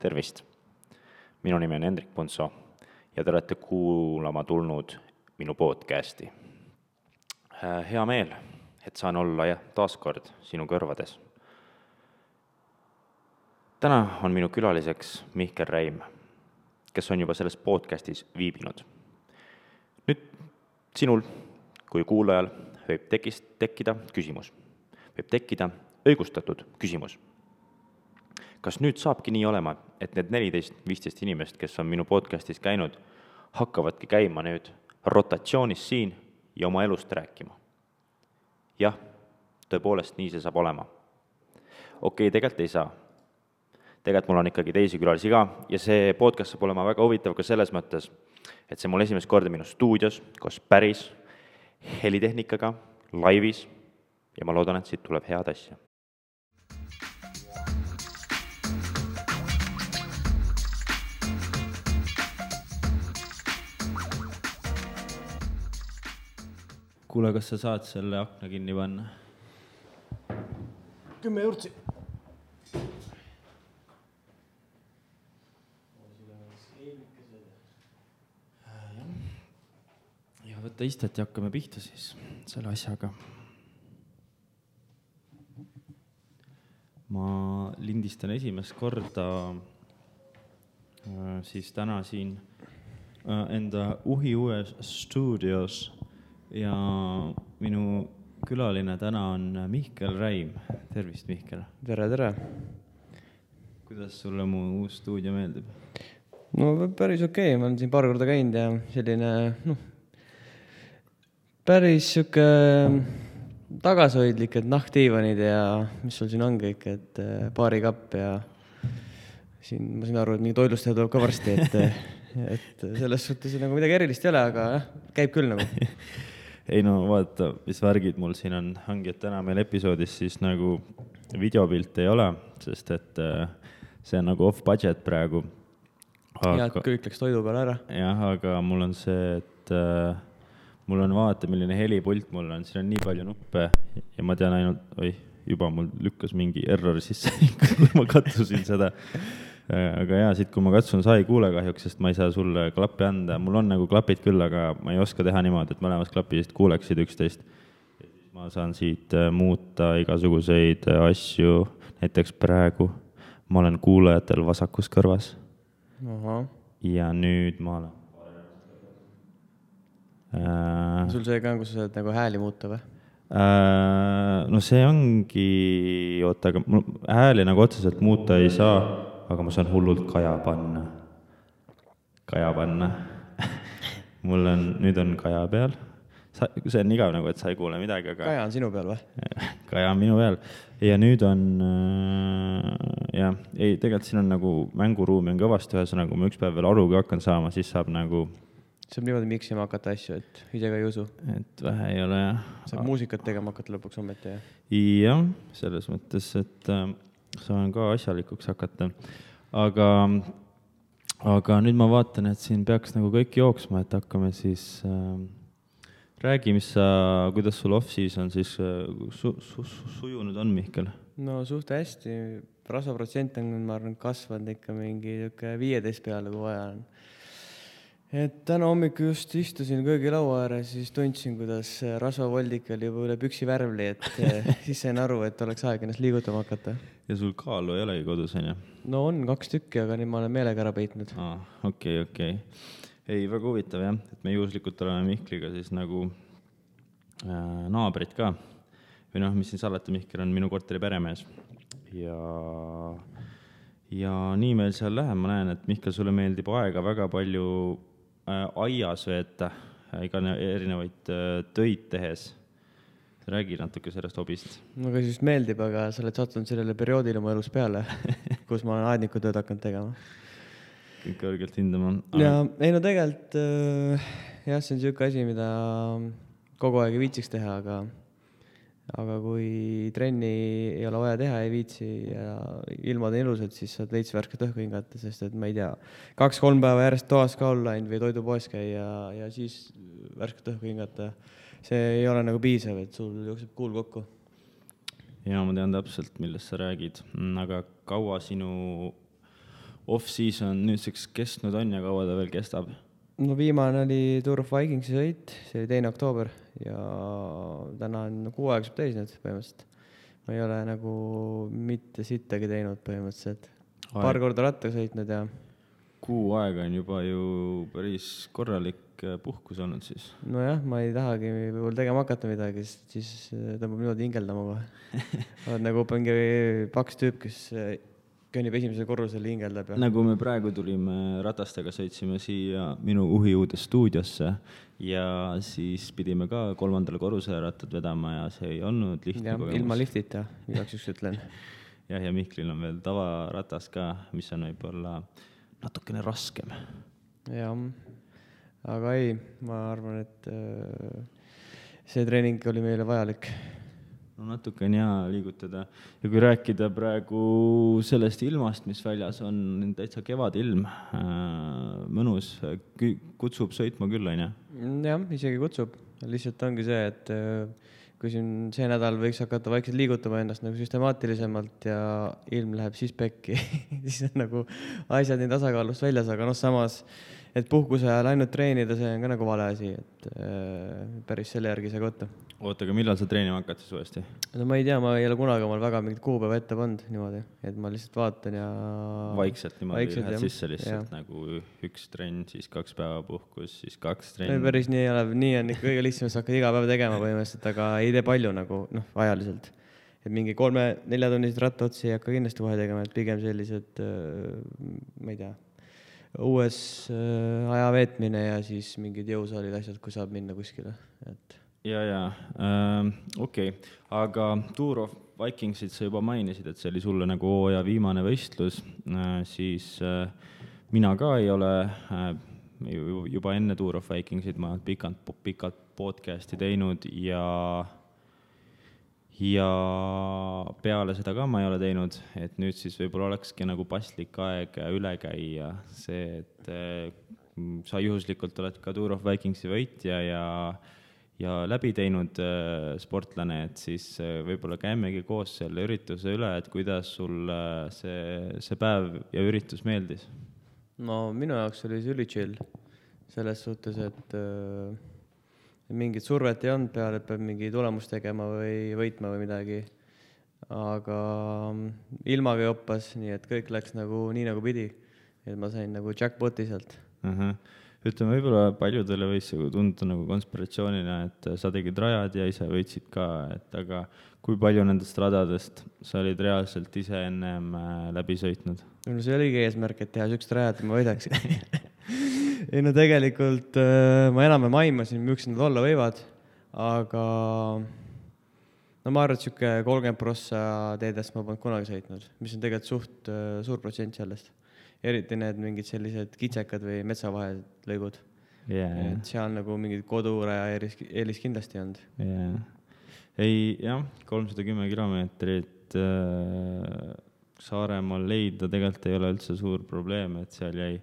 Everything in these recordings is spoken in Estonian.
Tervist! Minu nimi on Hendrik Punso ja te olete kuulama tulnud minu podcasti. Hea meel, et saan olla taaskord sinu kõrvades. Täna on minu külaliseks Mihkel Räim, kes on juba selles podcastis viibinud. Nüüd sinul kui kuulajal võib tekkida küsimus. Võib tekkida õigustatud küsimus. Kas nüüd saabki nii olema, et need 14-15 inimest, kes on minu podcastis käinud, hakkavadki käima nüüd rotatsioonis siin ja oma elust rääkima? Jah, tõepoolest nii see saab olema. Okei, tegelikult ei saa. Tegelikult mul on ikkagi teisi külalisi ka ja see podcast saab olema väga huvitav ka selles mõttes, et see mul esimest korda minu stuudios, koos päris helitehnikaga, laivis ja ma loodan, et siit tuleb head asja. Kuule, kas sa saad selle akna kinni panna? 10 juurtsi. Ja võtta istet ja hakkame pihta siis selle asjaga. Ma lindistan esimest korda siis täna siin enda uhiues stuudios ja minu külaline täna on Mihkel Räim. Tervist, Mihkel! Tere, tere! Kuidas sulle mu uus stuudio meeldib? No päris okei, ma olen siin paar korda käinud ja selline, päris siuke tagasihoidlik, et nahkdiivanid ja mis sul siin on kõik, et baarikapp ja siin ma siin aru, et mingi toilustaja tuleb ka varsti, et selles suhtes nagu midagi erilist ei ole, aga käib küll nagu. Ei no vaata, mis värgid mul siin on, ongi, et täna meil episoodis siis nagu videopilt ei ole, sest et see on nagu off budget praegu. Ja, et kõik läks toidu peale ära. Jah, aga mul on see, et mul on vaata, milline helipult mul on, siin on nii palju nuppe ja ma tean ainult, juba mul lükkas mingi error sisse, kui ma katsusin seda. Aga jaa, siit kui ma katsun, sa ei kuule kahjuks, sest ma ei saa sulle klappi anda. Mul on nagu klapid küll, aga ma ei oska teha niimoodi, et mõlemas klapidest kuuleksid 11. Ja siis ma saan siit muuta igasuguseid asju. Näiteks praegu ma olen kuulajatel vasakus kõrvas. Aha. Ja nüüd ma olen... Sul see ka on, kus sa saad nagu hääli muuta või? No see ongi... Oota, aga hääli nagu otseselt muuta ei saa, aga ma saan hullult kaja panna. Mul on, nüüd on kaja peal. See on igav nagu, et sa ei kuule midagi, aga... Kaja on sinu peal või? Kaja on minu peal. Ja nüüd on... tegelikult siin on nagu mänguruumi on kõvasti ühesõnaga, kui ma üks päev veel arugi hakkan saama, siis saab nagu... Saab niimoodi miksima hakata asju, et ise ka ei usu. Et vähe ei ole, jah. Saab muusikat tegema hakata lõpuks ometi, jah? Jah, selles mõttes, et saan ka asjalikuks hakata. Aga nüüd ma vaatan, et siin peaks nagu kõik jooksma, et hakkame siis... Räägi, kuidas sul off-season siis sujunud on, Mihkel? No suht hästi. Rasvaprotsent on, ma arvan, kasvanud ikka mingi 15 peale, kui vaja on. Et täna hommiku just istusin köögilaua ääres, siis tundsin, kuidas rasvavoldik oli juba üle püksi värvli, et siis sain aru, et oleks aeg ennast liigutama hakata. Ja sul kaalu ei olegi kodus, on ju? No on 2 tükki, aga nüüd ma olen meelega ära peitnud. Okei. Ei, väga huvitav, jah, et me juhuslikult oleme Mihkliga siis nagu naabrid ka. Või mis siin salata, Mihkel on minu korteri peremees. Ja nii meil seal läheb, ma näen, et Mihkel, sulle meeldib aega väga palju aias veeta, erinevaid töid tehes. Räägi natuke sellest hobist. No ka siis meeldib, aga sa oled sattunud sellele perioodile oma elus peale, kus ma olen aednikutööd hakanud tegema. Kõik kõrgelt hindama. Ja ei no tegelikult, jah, see on selline asi, mida kogu aeg ei viitsiks teha, aga kui trenni ei ole vaja teha, ei viitsi ja ilmad on ilusad, siis saad veits värsket õhku hingata, sest et ma ei tea, 2-3 päeva järjest toas ka olla või toidupoes käia ja siis värsket õhku hingata. See ei ole nagu piisav, et sul jookseb kuul kokku. Ja ma tean täpselt, millest sa räägid, aga kaua sinu off-season nüüdseks kestnud on ja kaua ta veel kestab? No viimane oli Tour of Vikingsi sõit, see oli 2. oktoober ja täna on kuu aega saab täis nüüd põhimõtteliselt. Ma ei ole nagu mitte sittagi teinud põhimõtteliselt. Paar korda rattaga sõitnud ja... Kuu aega on juba ju päris korralik puhkus olnud siis. Nojah, ma ei tahagi võib-olla tegema hakata midagi, siis tõmbab niimoodi hingeldama kohe. Oled nagu mingi paks tüüp, kes kõnnib esimesel korrusel hingeldab. Nagu me praegu tulime ratastega, sõitsime siia minu uhiuude stuudiosse ja siis pidime ka 3. korrusele rattad vedama ja see ei olnud lihtne kogemus. Ilma liftita, igaks üks ütlen. Ja Mihklil on veel tavaratas ka, mis on võib-olla natukene raskem. Jah, aga ei, ma arvan, et see treening oli meile vajalik. No natuke on hea liigutada. Ja kui rääkida praegu sellest ilmast, mis väljas on täitsa kevadilm, mõnus, kutsub sõitma küll, on ja? Jah, isegi kutsub. Lihtsalt ongi see, et kui siin see nädal võiks hakata vaikselt liigutama ennast nagu süstemaatilisemalt ja ilm läheb siis pekki, siis on nagu asjad nii tasakaalust väljas, aga samas, et puhkuse ajal ainult treenida, see on ka nagu vale asi, et päris selle järgi see võtta. Oota, aga millal sa treenima hakkad siis uuesti? No ma ei tea, ma ei ole kunagi omal väga mingit kuupäeva ette pannud niimoodi, et ma lihtsalt vaatan ja... Vaikselt niimoodi lähed sisse lihtsalt nagu üks trenn, siis 2 päeva puhkus, siis 2 trenn. Päris nii ei ole, nii on ikka kõige lihtsam, sa hakkad iga päev tegema põhimõtteliselt, aga ei tee palju nagu, ajaliselt. Et mingi 3-4 tunnised rattaotsi ei hakka kindlasti kohe tegema, et pigem sellised, ma ei tea, uues aja veetmine ja siis mingid jõusaalid asjad, kui saab minna kuskile, et... Okei. Aga Tour of Vikingsit sa juba mainisid, et see oli sulle nagu hooaja viimane võistlus, siis mina ka ei ole juba enne Tour of Vikingsit, ma olen pikalt podcasti teinud ja peale seda ka ma ei ole teinud, et nüüd siis võib-olla olekski nagu paslik aeg üle käia see, et sa juhuslikult oled ka Tour of Vikingsi võitja ja läbi teinud sportlane, et siis võib-olla käimegi koos selle ürituse üle, et kuidas sul see päev ja üritus meeldis? No minu jaoks oli see ülichill selles suhtes, et mingit survet ei olnud peale, et peab mingi tulemust tegema või võitma või midagi, aga ilmaga joppas, nii et kõik läks nagu nii nagu pidi, et ma sain nagu jackpoti sealt. Ütleme, võib-olla paljudele võis tunda nagu konspiratsioonina, et sa tegid rajad ja ise võitsid ka, et aga kui palju nendest radadest sa olid reaalselt ise ennem läbi sõitnud? No see oligi eesmärk, et teha sükst rajad, et ma võidaks. Ei no tegelikult ma enam aimasin, miks nad olla võivad, aga no ma arvan, et süke 30% teedest ma polnud kunagi sõitnud, mis on tegelikult suht suur protsent sellest. Eriti need mingid sellised kitsekad või metsavahelised lõigud. Et seal nagu mingid koduraja eelis kindlasti olnud. Ei, jah, 310 kilomeetrit Saaremaal leida tegelikult ei ole üldse suur probleem, et seal jäi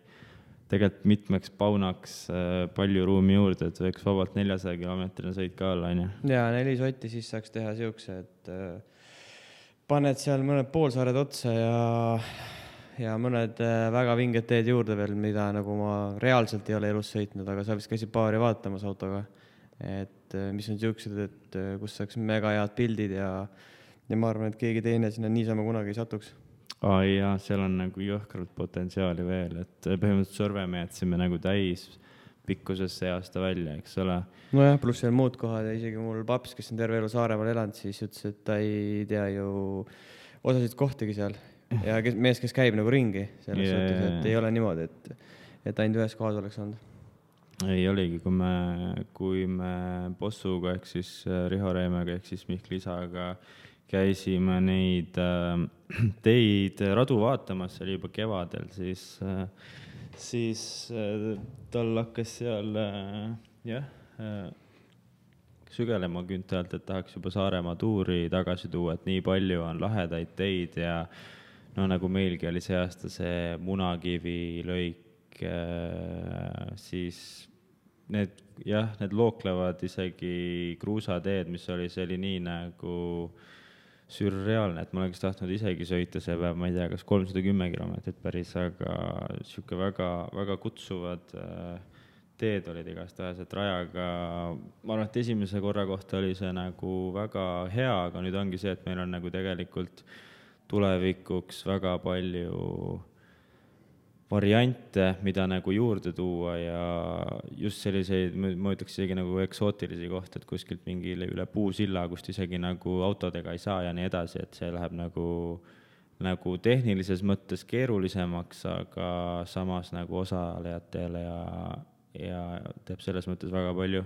tegelikult mitmeks paunaks palju ruumi juurde, et võiks vabalt 400 kilomeetrine sõit ka olla, on ju? Jaa, 4 sotti siis saaks teha siukse, et paned seal mõned poolsaared otsa ja mõned väga vinged teed juurde veel, mida nagu ma reaalselt ei ole elus sõitnud, aga sa vist käisid paari vaatamas autoga, et mis on siuksed, et kus saaks mega head pildid ja ma arvan, et keegi teine sinna niisama kunagi ei satuks. Jaa, seal on nagu jõhkralt potentsiaali veel, et põhimõtteliselt Sõrve jätsime nagu täis pikkuses see aasta välja, eks ole? Nojah, pluss veel muud kohad ja isegi mul paps, kes on terve elu Saaremaal elanud, siis ütles, et ta ei tea ju osasid kohtigi seal. Ja mees, kes käib nagu ringi selles suhtes, et ei ole niimoodi, et ainult ühes kohas oleks olnud. Ei oligi, kui me Bossuga ehk siis Riho Reemega ehk siis Mihkli isaga käisime neid teid radu vaatamas, see oli juba kevadel, siis tal hakkas seal sügelema künte alt, et tahaks juba Saaremaa tuuri tagasi tuua, et nii palju on lahedaid teid ja no nagu meilgi oli see aasta see Munakivi lõik, siis need looklevad isegi kruusateed, mis oli, see oli nii nagu sürreaalne, et ma oleks tahtnud isegi sõita see päev, ma ei tea, kas 310 kilomeetrit päris, aga sihuke väga, väga kutsuvad teed olid igastahes, et rajaga, ma arvan, et esimese korra kohta oli see nagu väga hea, aga nüüd ongi see, et meil on nagu tegelikult tulevikuks väga palju variante, mida nagu juurde tuua ja just selliseid, ma ütleks isegi nagu eksootilisi kohti, et kuskilt mingi üle puusilla, kust isegi nagu autodega ei saa ja nii edasi, et see läheb nagu tehnilises mõttes keerulisemaks, aga samas nagu osalejatele ja teeb selles mõttes väga palju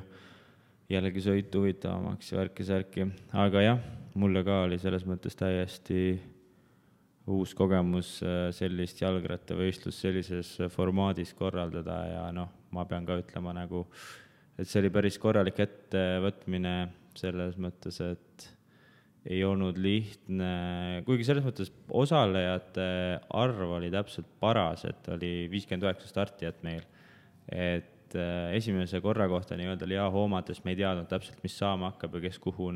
jällegi sõitu huvitavamaks ja värki-särki. Aga jah, mulle ka oli selles mõttes täiesti uus kogemus sellist jalgrattavõistlust sellises formaadis korraldada ja noh, ma pean ka ütlema nagu, et see oli päris korralik ettevõtmine selles mõttes, et ei olnud lihtne, kuigi selles mõttes osalejate arv oli täpselt paras, et oli 59 startijat meil, et esimese korra kohta nii-öelda oli hoomades, me ei teadnud täpselt, mis saama hakkab ja kes kuhu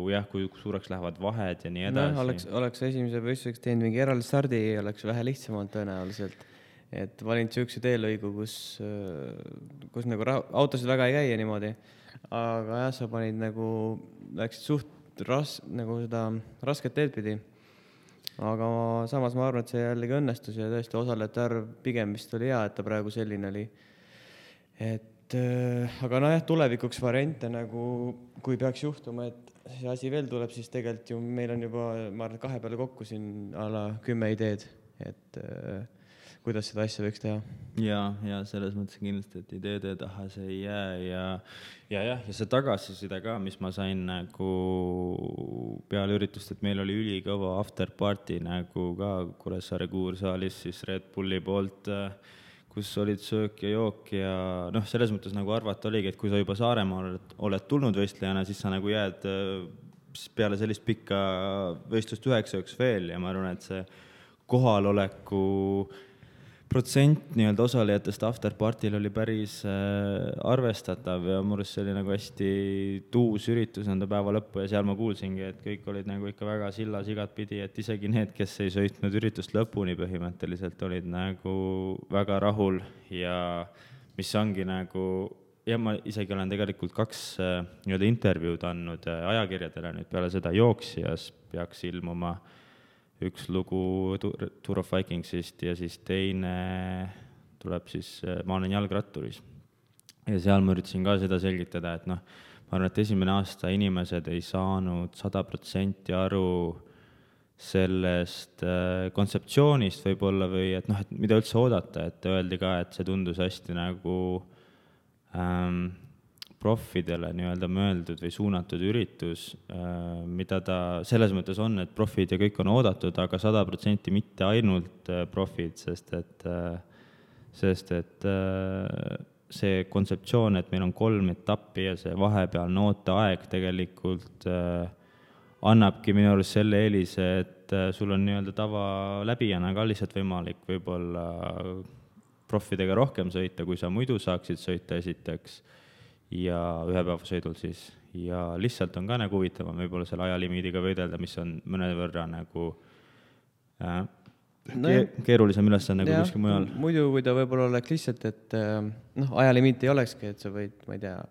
jah, kui suureks lähevad vahed ja nii edasi. Oleks esimese võistluseks teinud mingi eraldi stardi, oleks vähe lihtsamalt tõenäoliselt. Et valinud sihukese teelõigu, kus nagu autosid väga ei käi ja niimoodi. Aga jah, sa panid nagu, läksid suht nagu seda rasket teed pidi. Aga samas ma arvan, et see jällegi õnnestus ja tõesti osalejate arv pigem vist oli hea, et ta praegu selline oli. Aga jah, tulevikuks variante nagu, kui peaks juhtuma, et see asi veel tuleb, siis tegelikult ju meil on juba, ma arvan, 2 peale kokku siin ala 10 ideed, et kuidas seda asja võiks teha. Ja selles mõttes kindlasti, et ideede taha see ei jää ja see tagasiside ka, mis ma sain nagu peale üritust, et meil oli ülikõva afterparty nagu ka Kuressaare Kuursaalis siis Red Bulli poolt, kus olid söök ja jook ja noh, selles mõttes nagu arvata oligi, et kui sa juba Saaremaa oled tulnud võistlejana, siis sa nagu jääd peale sellist pikka võistlust 9 ööks veel ja ma arvan, et see kohaloleku protsent nii-öelda osalejatest afterpartil oli päris arvestatav ja mures see oli nagu hästi tuus üritus enda päeva lõppu ja seal ma kuulsingi, et kõik olid nagu ikka väga sillas igatpidi, et isegi need, kes ei sõitnud üritust lõpuni põhimõtteliselt, olid nagu väga rahul ja mis ongi nagu, ja ma isegi olen tegelikult 2 nii-öelda intervjuud andnud ajakirjadele nüüd peale seda jooksjas peaks ilmuma üks lugu Tour of Vikingsist ja siis teine tuleb siis Ma olen jalgratturis. Ja seal ma üritasin ka seda selgitada, et noh, ma arvan, et esimene aasta inimesed ei saanud 100% aru sellest kontseptsioonist võib-olla või et noh, et mida üldse oodata, et öeldi ka, et see tundus hästi nagu profidele nii-öelda mõeldud või suunatud üritus, mida ta selles mõttes on, et profid ja kõik on oodatud, aga 100% mitte ainult profid, sest et see kontseptsioon, et meil on 3 etappi ja see vahepealne ooteaeg tegelikult annabki minu arust selle eelise, et sul on nii-öelda tava läbijana ka lihtsalt võimalik võib-olla profidega rohkem sõita, kui sa muidu saaksid sõita esiteks ja ühepäevasõidul siis ja lihtsalt on ka nagu huvitavam võib-olla selle ajalimiidiga võidelda, mis on mõnevõrra nagu keerulisem ülesanne kui kuskil mujal. Muidu kui ta võib-olla oleks lihtsalt, et ajalimiit ei olekski, et sa võid, ma ei tea,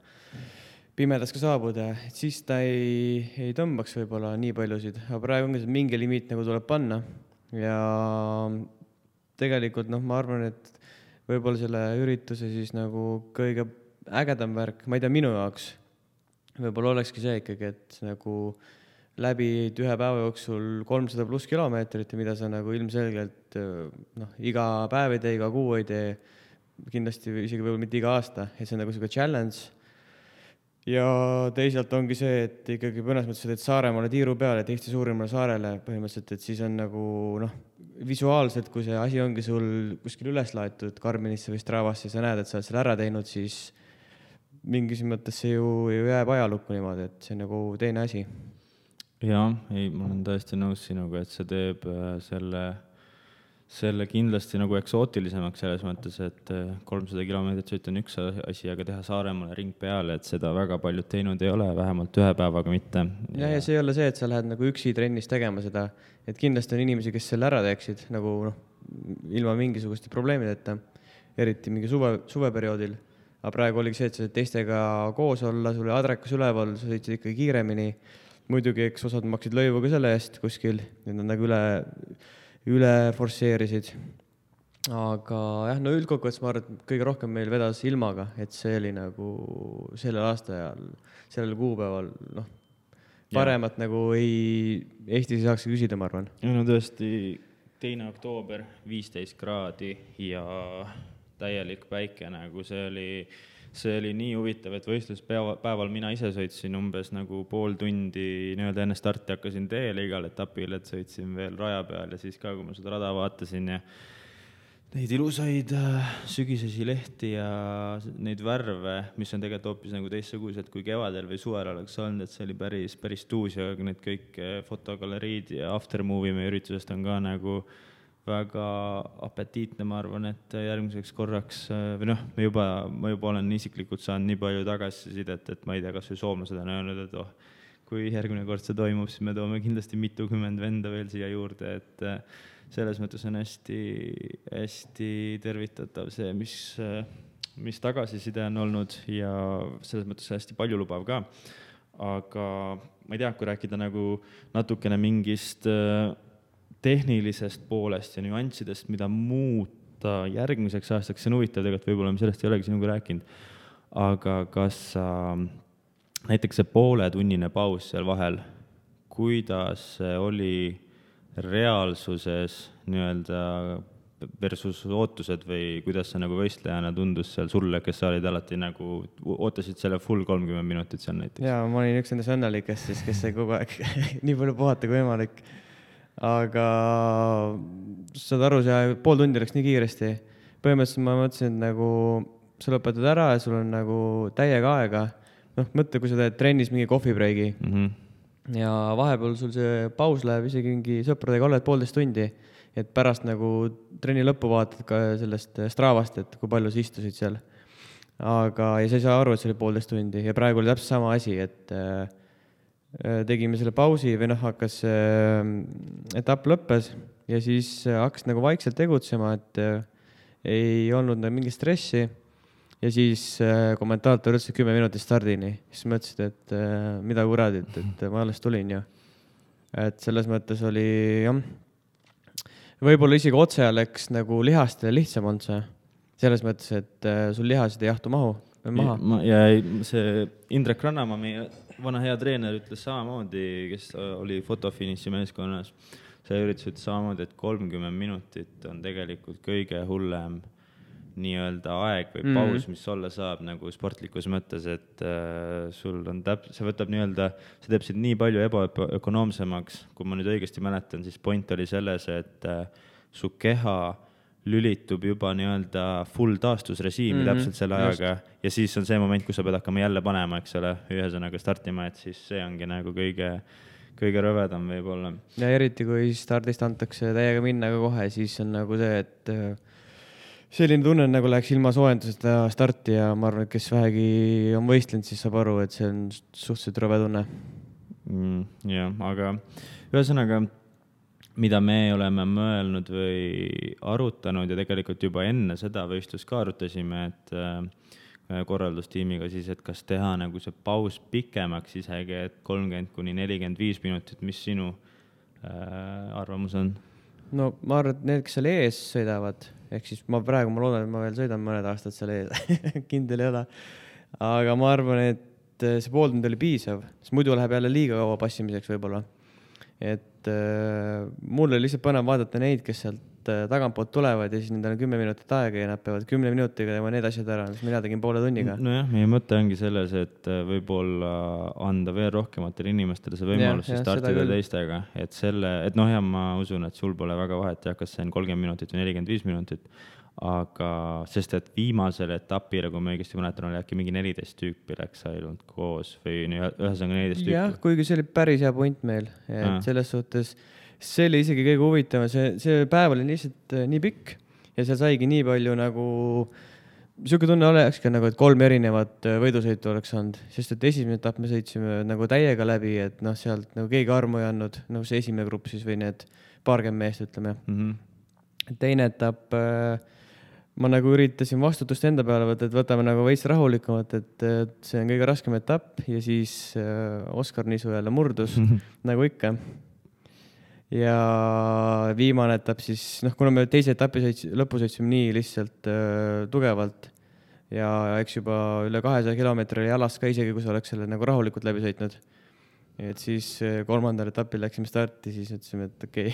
pimedas ka saabuda, et siis ta ei tõmbaks võib-olla nii paljusid, aga praegu ongi mingi limiit nagu tuleb panna ja tegelikult ma arvan, et võib-olla selle ürituse siis nagu kõige ägedam värk, ma ei tea, minu jaoks võib-olla olekski see ikkagi, et nagu läbi 1 päeva jooksul 300+ kilomeetrit, mida sa nagu ilmselgelt iga päev ei tee, iga kuu ei tee, kindlasti isegi võib-olla mitte iga aasta, et see on nagu selline challenge. Ja teisalt ongi see, et ikkagi mõnes mõttes, et Saaremaale tiiru peale, et Eesti suurimale saarele põhimõtteliselt, et siis on nagu visuaalselt, kui see asi ongi sul kuskil üles laetud Garminisse või Stravasse, sa näed, et sa oled selle ära teinud, siis mingis mõttes see ju jääb ajalukku niimoodi, et see on nagu teine asi. Jaa, ei, ma olen tõesti nõus sinuga, et see teeb selle kindlasti nagu eksootilisemaks selles mõttes, et 300 kilomeetrit sõit on üks asi, aga teha Saaremaale ring peale, et seda väga paljud teinud ei ole, vähemalt ühe päevaga mitte. Ja see ei ole see, et sa lähed nagu üksi trennis tegema seda, et kindlasti on inimesi, kes selle ära teeksid nagu ilma mingisuguste probleemideta, eriti mingi suveperioodil. Aga praegu oligi see, et sa teistega koos olla, sul oli adrekas üleval, sa sõitsid ikkagi kiiremini. Muidugi, eks osad maksid lõivu ka selle eest kuskil, need on nagu üle forsseerisid. Aga jah, no üldkokkuvõttes ma arvan, et kõige rohkem meil vedas ilmaga, et see oli nagu sellel aastajal, sellel kuupäeval, paremat nagu Eestis ei saaks küsida, ma arvan. No tõesti, 2. oktoober, 15 kraadi ja täielik päike, nagu see oli nii huvitav, et võistluspäeval mina ise sõitsin umbes nagu pool tundi nii-öelda enne starti hakkasin teele igal etapil, et sõitsin veel raja peal ja siis ka, kui ma seda rada vaatasin ja neid ilusaid sügisesi lehti ja neid värve, mis on tegelikult hoopis nagu teistsugused kui kevadel või suvel oleks olnud, et see oli päris tuus ja need kõik fotogaleriid ja aftermovie meie üritusest on ka nagu väga apetiitne, ma arvan, et järgmiseks korraks, või ma juba olen isiklikult saanud nii palju tagasisidet, et ma ei tea, kas või soomlased on öelnud, et kui järgmine kord see toimub, siis me toome kindlasti mitukümmend venda veel siia juurde, et selles mõttes on hästi tervitatav see, mis tagasiside on olnud ja selles mõttes hästi paljulubav ka. Aga ma ei tea, kui rääkida nagu natukene mingist tehnilisest poolest ja nüanssidest, mida muuta järgmiseks aastaks, see on huvitav tegelikult, võib-olla me sellest ei olegi sinuga rääkinud, aga kas näiteks see pooletunnine paus seal vahel, kuidas see oli reaalsuses nii-öelda versus ootused või kuidas see nagu võistlejana tundus seal sulle, kes sa olid alati nagu, ootasid selle full 30 minutit seal näiteks? Jaa, ma olin üks nendest õnnelikest, kes sai kogu aeg nii palju puhata kui võimalik. Aga saad aru, see pool tundi läks nii kiiresti. Põhimõtteliselt ma mõtlesin, et nagu sa lõpetad ära ja sul on nagu täiega aega. Mõtle, kui sa teed trennis mingi kohvibreigi ja vahepeal sul see paus läheb isegi mingi sõpradega oled 1,5 tundi, et pärast nagu trenni lõppu vaatad ka sellest Stravast, et kui palju sa istusid seal. Aga ja sa ei saa aru, et see oli 1,5 tundi ja praegu oli täpselt sama asi, et tegime selle pausi või hakkas etapp lõppes ja siis hakkas nagu vaikselt tegutsema, et ei olnud mingit stressi ja siis kommentaator ütles 10 minutit stardini. Siis mõtlesid, et mida kuradit, et ma alles tulin ju. Et selles mõttes oli võib-olla isegi otse läks nagu lihastele lihtsam on see. Selles mõttes, et sul lihasid ei jahtu maha. Ja see Indrek Rannamaa, meie vana hea treener, ütles samamoodi, kes oli fotofinissi meeskonnas. See üritus samamoodi, et 30 minutit on tegelikult kõige hullem nii-öelda aeg või paus, mis olla saab nagu sportlikus mõttes, et sul on see võtab nii-öelda, see teeb nii palju ebaökonoomsemaks, kui ma nüüd õigesti mäletan, siis point oli selles, et su keha lülitub juba nii-öelda full taastusrežiimi täpselt selle ajaga ja siis on see moment, kus sa pead hakkama jälle panema, eks ole, ühesõnaga startima, et siis see ongi nagu kõige rõvedam võib-olla. Ja eriti, kui stardist antakse täiega minna ka kohe, siis on nagu see, et selline tunne nagu läheks ilma soojenduseta starti ja ma arvan, et kes vähegi on võistlenud, siis saab aru, et see on suhteliselt rõve tunne. Jah, aga ühesõnaga mida me oleme mõelnud või arutanud ja tegelikult juba enne seda võistlust ka arutasime, et korraldustiimiga siis, et kas teha nagu see paus pikemaks isegi, et 30-45 minutit, mis sinu arvamus on? No ma arvan, et need, kes seal ees sõidavad, ehk siis ma loodan, et ma veel sõidan mõned aastad seal ees, kindel ei ole, aga ma arvan, et see pool tund oli piisav, sest muidu läheb jälle liiga kaua passimiseks võib-olla. Et mulle lihtsalt põnev vaadata neid, kes sealt tagantpoolt tulevad ja siis nendel on 10 minutit aega ja nad peavad 10 minutiga tegema need asjad ära, mis mina tegin poole tunniga. Nojah, meie mõte ongi selles, et võib-olla anda veel rohkematele inimestele see võimalus startida teistega. Et ma usun, et sul pole väga vahet, kas see on 30 minutit või 45 minutit, aga sest et viimasel etapile, kui ma õigesti mäletan, oli äkki mingi 14 tüüpi läks ainult koos või ühesõnaga 14 tüüpi. Jah, kuigi see oli päris hea point meil, et selles suhtes see oli isegi kõige huvitavam, see päev oli lihtsalt nii pikk ja seal saigi nii palju nagu, siuke tunne olekski nagu, et 3 erinevat võidusõitu oleks olnud, sest et esimene etapp me sõitsime nagu täiega läbi, et noh, sealt nagu keegi armu ei andnud, nagu see esimene grupp siis või need paarkümmend meest, ütleme. Teine etapp ma nagu üritasin vastutust enda peale võtta, et võtame nagu veits rahulikumalt, et see on kõige raskem etapp ja siis Oskar Nisu jälle murdus, nagu ikka. Ja viimane etapp siis, noh, kuna me teise etapi lõppu sõitsime nii lihtsalt tugevalt ja eks juba üle 200 kilomeetri jalas ka isegi, kui sa oleks selle nagu rahulikult läbi sõitnud. Et siis 3. etapil läksime starti, siis ütlesime, et okei,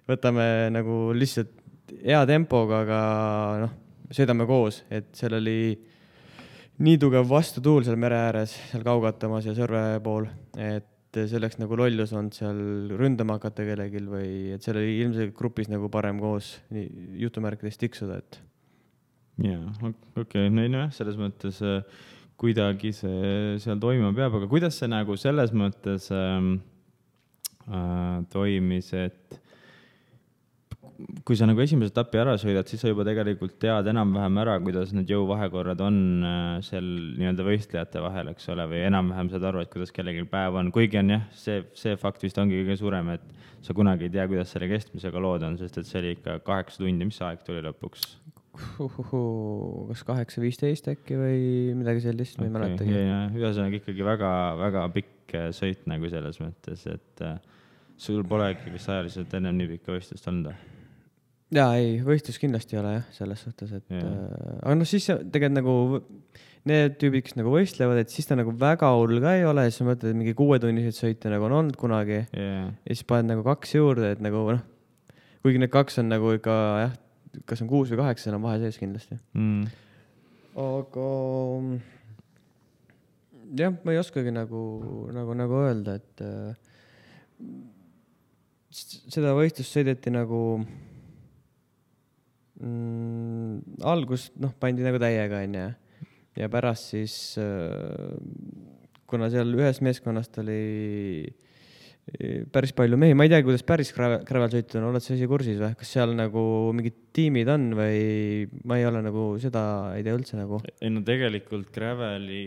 võtame nagu lihtsalt hea tempoga, aga noh, sõidame koos, et seal oli nii tugev vastutuul seal mere ääres, seal Kaugatamas ja Sõrve pool, et selleks nagu lollus on seal ründama hakata kellegil või et seal oli ilmselt grupis nagu parem koos jutumärkides tiksuda, et. Jaa, okei, no selles mõttes kuidagi see seal toimuma peab, aga kuidas see nagu selles mõttes toimis, et kui sa nagu esimese etapi ära sõidad, siis sa juba tegelikult tead enam-vähem ära, kuidas need jõuvahekorrad on seal nii-öelda võistlejate vahel, eks ole, või enam-vähem saad aru, et kuidas kellelgi päev on. Kuigi on jah, see fakt vist ongi kõige suurem, et sa kunagi ei tea, kuidas selle kestmisega lood on, sest et see oli ikka 8 tundi, mis aeg tuli lõpuks? Kas 8:15 äkki või midagi sellist, ma ei mäletagi. Ühesõnaga ikkagi väga, väga pikk sõit nagu selles mõttes, et sul pole ikkagi ajaliselt ennem nii pikka võistlust olnud? Jaa, ei, võistlus kindlasti ei ole jah, selles suhtes, et aga noh, siis tegelikult nagu need tüübid, kes nagu võistlevad, et siis ta nagu väga hull ka ei ole, siis ma mõtled, et mingi 6-tunnised sõite nagu on olnud kunagi ja siis paned nagu 2 juurde, et nagu noh, kuigi need 2 on nagu ikka jah, kas on 6 või 8, seal on vahe sees kindlasti. Aga jah, ma ei oskagi nagu öelda, et seda võistlust sõideti nagu algust, noh, pandi nagu täiega, ja pärast siis, kuna seal ühes meeskonnast oli päris palju mehi, ma ei tea, kuidas päris Gravel-sõitud on, oled sa ise kursis või? Kas seal nagu mingid tiimid on või ma ei ole nagu seda ei tea üldse nagu? Ei no tegelikult Graveli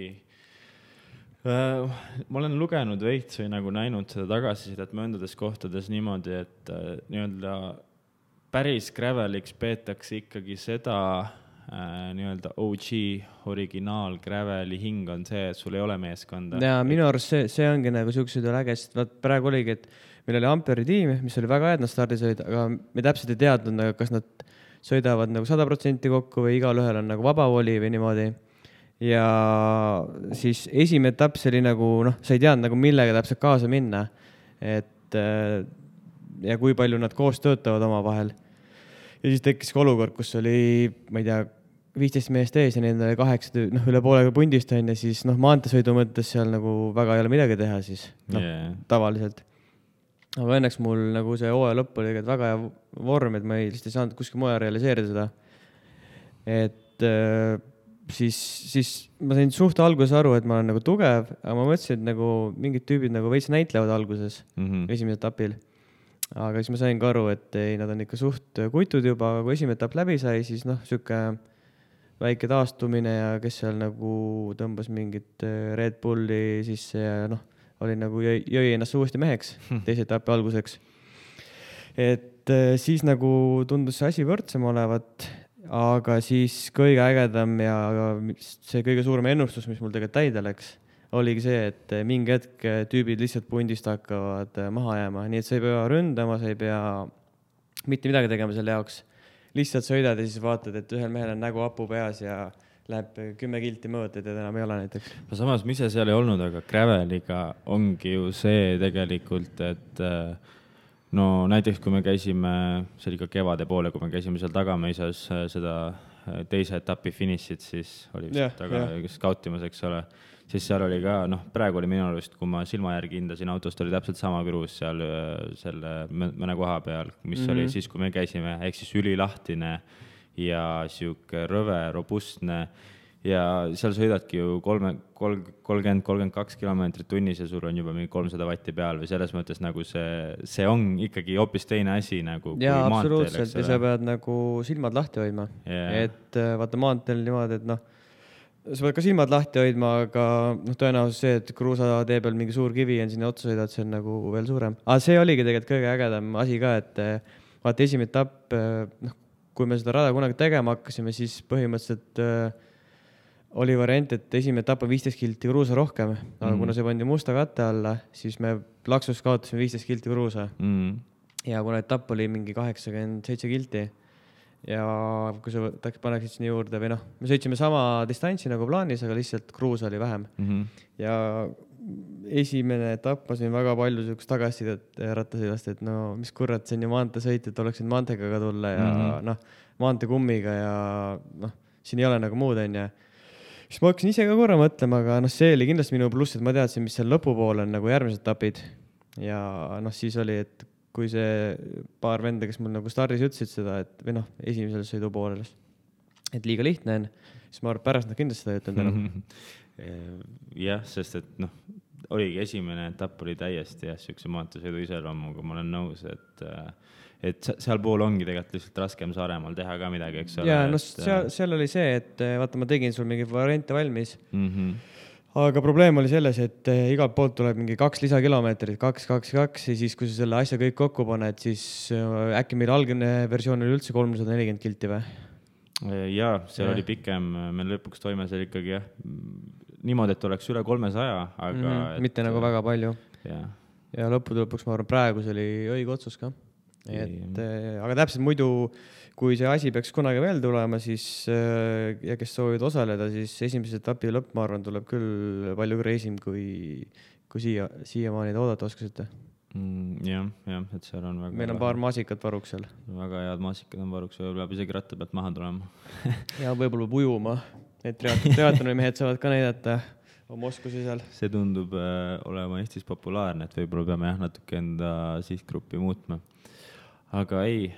ma olen lugenud veits või nagu näinud seda tagasisidet mõndades kohtades niimoodi, et nii-öelda päris Graveliks peetakse ikkagi seda nii-öelda OG, originaal Graveli hing on see, et sul ei ole meeskonda. Ja minu arust see ongi nagu siuksed äge, sest praegu oligi, et meil oli Amperi tiim, mis oli väga hea, et nad stardisõid, aga me täpselt ei teadnud, kas nad sõidavad nagu 100% kokku või igal ühel on nagu vabavoli või niimoodi. Ja siis esimene etapp see oli nagu, noh, sa ei teadnud nagu millega täpselt kaasa minna, et ja kui palju nad koos töötavad oma vahel. Ja siis tekkis ka olukord, kus oli, ma ei tea, 15 meest ees ja neil oli 8, noh, üle poolega pundist on ja siis, noh, maantesõidu mõttes seal nagu väga ei ole midagi teha siis, noh, tavaliselt. Aga õnneks mul nagu see hooaja lõpp oli väga hea vorm, et ma ei saanud kuskil moja realiseerida seda. Et siis ma sain suht alguses aru, et ma olen nagu tugev, aga ma mõtlesin, et nagu mingid tüübid nagu veits näitlevad alguses esimesel etapil. Aga siis ma sain ka aru, et ei, nad on ikka suht kutud juba, aga kui esimene etapp läbi sai, siis noh, siuke väike taastumine ja kes seal nagu tõmbas mingit Red Bulli sisse ja noh, oli nagu jõi ennast uuesti meheks teise etapi alguseks. Et siis nagu tundus see asi võrdsem olevat, aga siis kõige ägedam ja see kõige suurem ennustus, mis mul tegelikult täide läks, oligi see, et mingi hetk tüübid lihtsalt pundist hakkavad maha jääma, nii et sa ei pea ründama, sa ei pea mitte midagi tegema selle jaoks. Lihtsalt sõidad ja siis vaatad, et ühel mehel on nägu hapu peas ja läheb 10 kilti mõõt, et enam ei ole näiteks. Samas ma ise seal ei olnud, aga Graveliga ongi ju see tegelikult, et no näiteks kui me käisime, see oli ka kevade poole, kui me käisime seal Tagamõisas seda teise etapi finišit, siis oli taga skautimas, eks ole. Siis seal oli ka, noh, praegu oli minu arust, kui ma silma järgi hindasin autost, oli täpselt sama kruus seal selle mõne koha peal, mis oli siis, kui me käisime, ehk siis ülilahtine ja siuke rõve, robustne ja seal sõidadki ju 30-32 kilomeetrit tunnis ja sul on juba mingi 300 vatti peal või selles mõttes nagu see on ikkagi hoopis teine asi nagu kui jaa, maanteel, absoluutselt, ja sa pead nagu silmad lahti hoidma Yeah. et vaata maanteel niimoodi, et noh, sa pead ka silmad lahti hoidma, aga noh, tõenäosus see, et kruusatee peal mingi suur kivi on sinna otsa sõidad, see on nagu veel suurem. Aga see oligi tegelikult kõige ägedam asi ka, et vaata esimene etapp, noh, kui me seda rada kunagi tegema hakkasime, siis põhimõtteliselt oli variant, et esimene etapp on 15 kilti kruusa rohkem, aga kuna see pandi musta katte alla, siis me laksus kaotasime 15 kilti kruusa. Ja kuna etapp oli mingi 87 kilti ja kui sa paneksid sinna juurde või noh, me sõitsime sama distantsi nagu plaanis, aga lihtsalt kruusa oli vähem. Ja esimene etapp ma sain väga palju sellist tagasisidet rattasõidast, et no mis kurat, see on ju maanteesõit, et oleksid maanteega tulla ja noh, maanteekummiga ja noh, siin ei ole nagu muud, on ja siis ma hakkasin ise ka korra mõtlema, aga noh, see oli kindlasti minu pluss, et ma teadsin, mis seal lõpupool on nagu järgmised etapid ja noh, siis oli, et kui see paar venda, kes mul nagu stardis ütlesid seda, et või noh, esimesel sõidu poolel, et liiga lihtne on, siis ma arvan, pärast nad kindlasti seda ütlenud enam. Jah, sest et noh, oligi esimene etapp oli täiesti siukse maanteesõidu iseloomuga, ma olen nõus, et seal pool ongi tegelikult lihtsalt raskem Saaremaal teha ka midagi, eks ole. Ja no seal oli see, et vaata, ma tegin sul mingi variante valmis, aga probleem oli selles, et igalt poolt tuleb mingi 2 lisakilomeetrit, 2 ja siis kui sa selle asja kõik kokku paned, siis äkki meil algne versioon oli üldse 340 kilti või? Jaa, seal oli pikem, me lõpuks toime seal ikkagi jah, niimoodi, et oleks üle 300, aga mitte nagu väga palju. Ja lõppude lõpuks ma arvan, praegu see oli õige otsus ka. Aga täpselt muidu, kui see asi peaks kunagi veel tulema, siis ja kes soovid osaleda, siis esimese etapi lõpp, ma arvan, tuleb küll palju reisim, kui siiamaani oodata oskasite. Jah, et seal on väga... Meil on paar maasikat varuks seal. Väga head maasikad on varuks, võib-olla peab isegi ratta pealt maha tulema. Ja võib-olla peab ujuma, et triatloni mehed saavad ka näidata oma oskusi seal. See tundub olema Eestis populaarne, et võib-olla peame natuke enda sihtgruppi muutma. Aga ei,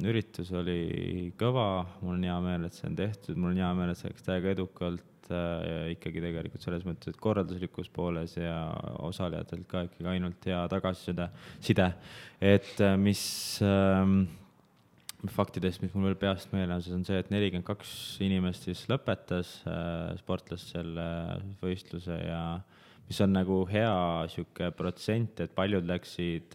üritus oli kõva, mul on hea meel, et see on tehtud, mul on hea meel, et see läks täiega edukalt ikkagi tegelikult selles mõttes, et korralduslikus pooles ja osalejatelt ka ikkagi ainult hea tagasiside, et mis faktidest, mis mul veel peast meeles on see, et 42 inimest siis lõpetas sportlast selle võistluse ja mis on nagu hea siuke protsent, et paljud läksid,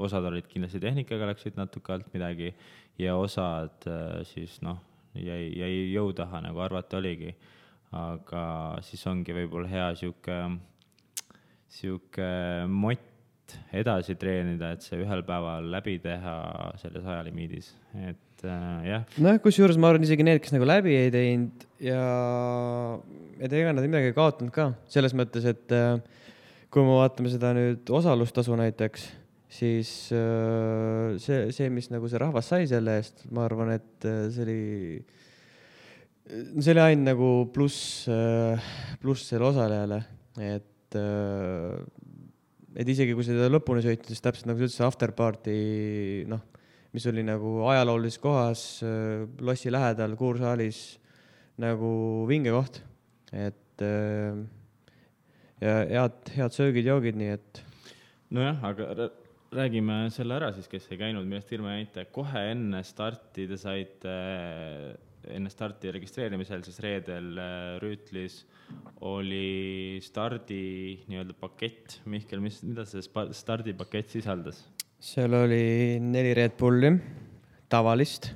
osad olid kindlasti tehnikaga, läksid natuke alt midagi ja osad siis noh, jäi jõu taha, nagu arvata oligi. Aga siis ongi võib-olla hea siuke mott edasi treenida, et see ühel päeval läbi teha selles ajalimiidis, et jah. Noh, kusjuures ma arvan isegi need, kes nagu läbi ei teinud ja ega nad midagi ei kaotanud ka, selles mõttes, et kui me vaatame seda nüüd osalustasu näiteks, siis see, mis nagu see rahvas sai selle eest, ma arvan, et see oli ainult nagu pluss selle osalejale, et isegi kui seda lõpuni sõitnud, siis täpselt nagu sa ütlesid, afterparty, noh, mis oli nagu ajaloolises kohas, lossi lähedal, kuursaalis, nagu vinge koht, et ja head söögid, joogid, nii et. Nojah, aga räägime selle ära siis, kes ei käinud, millest Irma jäite. Kohe enne starti te saite enne starti registreerimisel, siis reedel Rüütlis oli stardi nii-öelda pakett. Mihkel, mida see stardipakett sisaldas? Seal oli 4 Red Bulli, tavalist.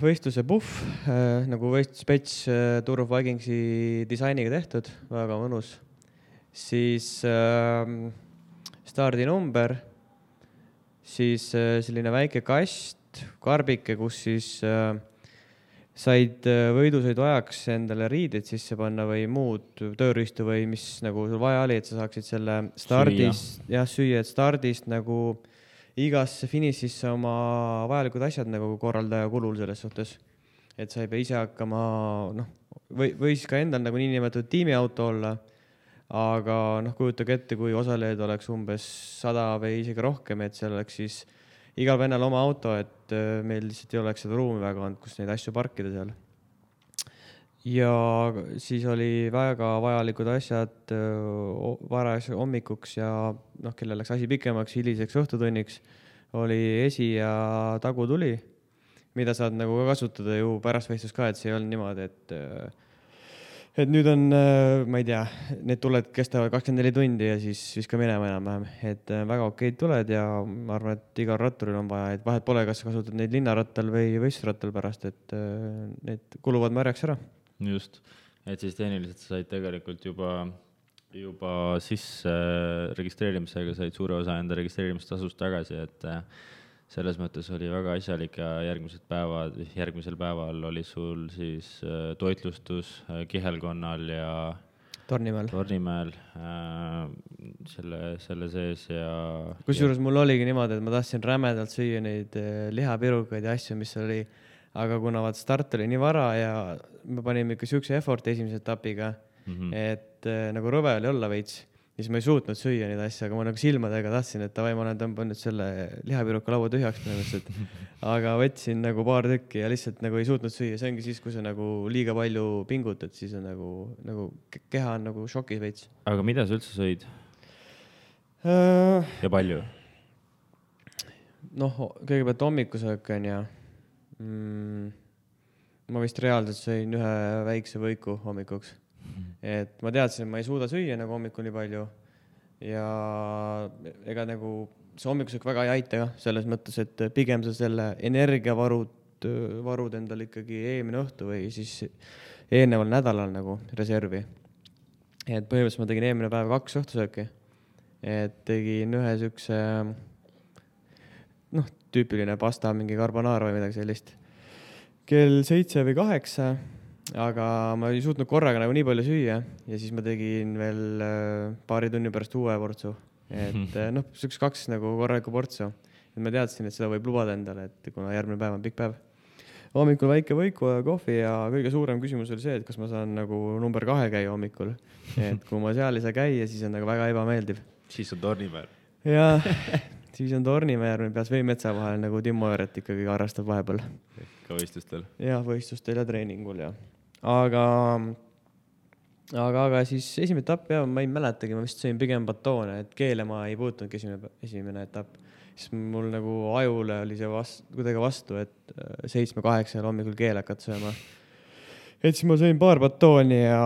Võistluse puff, nagu spets Tour of Vikingsi disainiga tehtud, väga mõnus. Siis stardinumber, siis selline väike kast, karbike, kus siis said võidusõidu ajaks endale riided sisse panna või muud tööriistu või mis nagu sul vaja oli, et sa saaksid selle stardist, süüa, et stardist nagu igasse finišisse oma vajalikud asjad nagu korraldaja kulul selles suhtes. Et sa ei pea ise hakkama, noh, võis ka endal nagu niinimetatud tiimiauto olla, aga noh, kujutage ette, kui osalejaid oleks umbes 100 või isegi rohkem, et seal oleks siis igal vennal oma auto, et meil lihtsalt ei oleks seda ruumi väga olnud, kus neid asju parkida seal. Ja siis oli väga vajalikud asjad varajaks hommikuks ja kellel läks asi pikemaks, hiliseks õhtutunniks, oli esi- ja tagutuli, mida saad nagu ka kasutada ju pärast võistlust ka, et see ei olnud niimoodi, et nüüd on, ma ei tea, need tuled kestavad 24 tundi ja siis viska minema enam-vähem, et väga okeid tuled ja ma arvan, et igal ratturil on vaja, et vahet pole, kas kasutad neid linnarattal või võistlusrattal pärast, et need kuluvad märjaks ära. Just, et siis tehniliselt sa said tegelikult juba sisse registreerimisega said suure osa enda registreerimistasust tagasi, et selles mõttes oli väga asjalik ja järgmisel päeval oli sul siis toitlustus Kihelkonnal ja Tornimäel selle sees ja... Kusjuures mul oligi niimoodi, et ma tahtsin rämedalt süüa neid lihapirukaid ja asju, mis oli, aga kuna vaat start oli nii vara ja me panime ikka siukse efforti esimese etapiga, et nagu rõve oli olla veits, siis ma ei suutnud süüa neid asju, aga ma nagu silmadega tahtsin, et ma olen tõmbanud selle lihapiruka laua tühjaks põhimõtteliselt. Aga võtsin nagu paar tükki ja lihtsalt nagu ei suutnud süüa. See ongi siis, kui sa nagu liiga palju pingutad, siis on nagu keha on nagu šokis veits. Aga mida sa üldse sõid? Ja palju? Kõigepealt hommikusöök on ja ma vist reaalselt sõin ühe väikse võiku hommikuks. Et ma teadsin, et ma ei suuda süüa nagu hommikul nii palju ja ega nagu see hommikusöök väga ei aita ka selles mõttes, et pigem sa selle energiavarud endal ikkagi eelmine õhtu või siis eelneval nädalal nagu reservi. Et põhimõtteliselt ma tegin eelmine päev 2 õhtusööki, et tegin ühe sükse tüüpiline pasta, mingi carbonara või midagi sellist kell 7 või 8, aga ma ei suutnud korraga nagu nii palju süüa ja siis ma tegin veel paari tunni pärast uue portsu, et sükse 2 nagu korralikku portsu, et ma teadsin, et seda võib lubada endale, et kuna järgmine päev on pikk päev. Hommikul väike võiku ja kohvi ja kõige suurem küsimus oli see, et kas ma saan nagu number 2 käia hommikul, et kui ma seal ei saa käia, siis on nagu väga ebameeldiv. Siis on Tornimäel. Ja siis on Tornimäel, peas Veimetsa vahel nagu Timmo Ööret ikkagi harrastab vahepeal. Ka võistlustel? Ja võistlustel ja treeningul ja. Aga siis esimene etapp ma ei mäletagi, ma vist sõin pigem batoone, et keele ma ei puutunudki esimene etapp. Siis mul nagu ajule oli see kuidagi vastu, et 7-8 hommikul keele hakata sööma. Et siis ma sõin paar batooni ja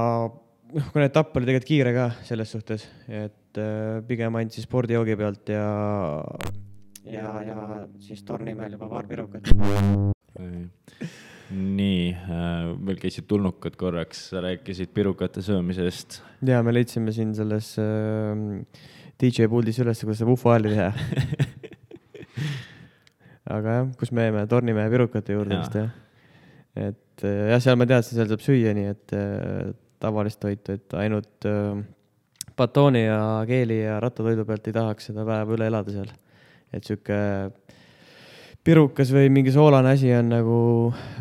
kuna etapp oli tegelikult kiire ka selles suhtes, et pigem andsin spordijoogi pealt ja siis Tornimäel juba paar pirukat. Nii, meil käisid tulnukad korraks, sa rääkisid pirukate söömisest. Ja me leidsime siin selles DJ puldis üles, kuidas saab ufo hääli teha. Aga jah, kus me jäime Tornimäe pirukate juurde vist jah. Et seal ma teadsin, seal saab süüa nii, et tavalist toitu, et ainult batooni ja keeli ja rattatoidu pealt ei tahaks seda päeva üle elada seal. Et süke pirukas või mingi soolane asi on nagu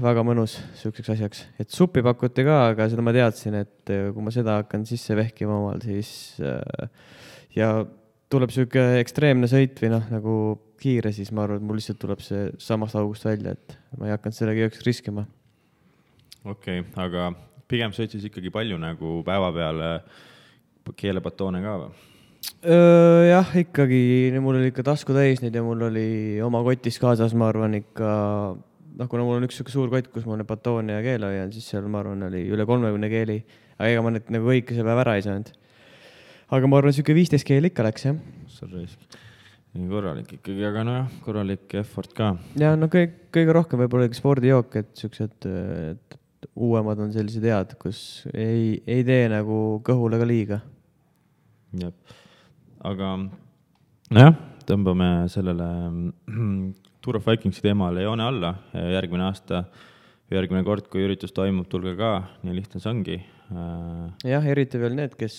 väga mõnus sükkseks asjaks. Et suppi pakuti ka, aga seda ma teadsin, et kui ma seda hakkan sisse vehkima omal, siis ja tuleb süke ekstreemne sõit või nagu kiire, siis ma arvan, et mul lihtsalt tuleb see samast august välja, et ma ei hakanud sellega jõuks riskima. Okei, aga pigem sõid siis ikkagi palju nagu päeva peale keelebatoone ka või? Jah, ikkagi, mul oli ikka tasku täis neid ja mul oli oma kotis kaasas, ma arvan ikka, kuna mul on üks suur kott, kus mul batoon ja keel oli, siis seal ma arvan oli üle 30 keeli, aga ega ma need nagu kõike see päev ära ei saanud. Aga ma arvan, süke 15 keeli ikka läks, jah. Nii korralik ikkagi, aga korralik effort ka. Ja kõige rohkem võib-olla spordijook, et süksed uuemad on sellised head, kus ei tee nagu kõhule ka liiga. Jep. Aga tõmbame sellele Tour of Vikingsi teemale joone alla. Järgmine kord, kui üritus toimub, tulge ka, nii lihtne see ongi. Jah, eriti veel need, kes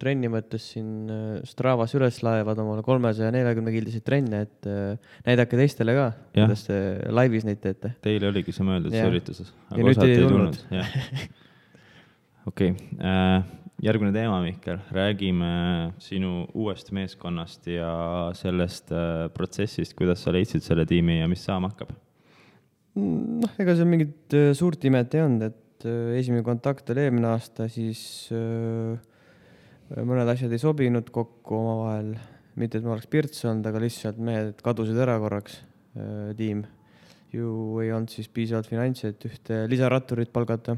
trenni mõttes siin Stravas üles laevad omale 340 kildiseid trenne, et näidake teistele ka, kuidas te laivis neid teete. Teile oligi see mõeldud see ürituses, aga osad ei tulnud. Okei. järgmine teema, Mihkel, räägime sinu uuest meeskonnast ja sellest protsessist, kuidas sa leidsid selle tiimi ja mis saama hakkab? Noh, ega seal mingit suurt imet ei olnud, et esimene kontakt oli eelmine aasta, siis mõned asjad ei sobinud kokku omavahel, mitte et ma oleks pirts olnud, aga lihtsalt mehed kadusid ära korraks, tiim. Ju ei olnud siis piisavalt finantsi, et ühte lisaratturit palgata.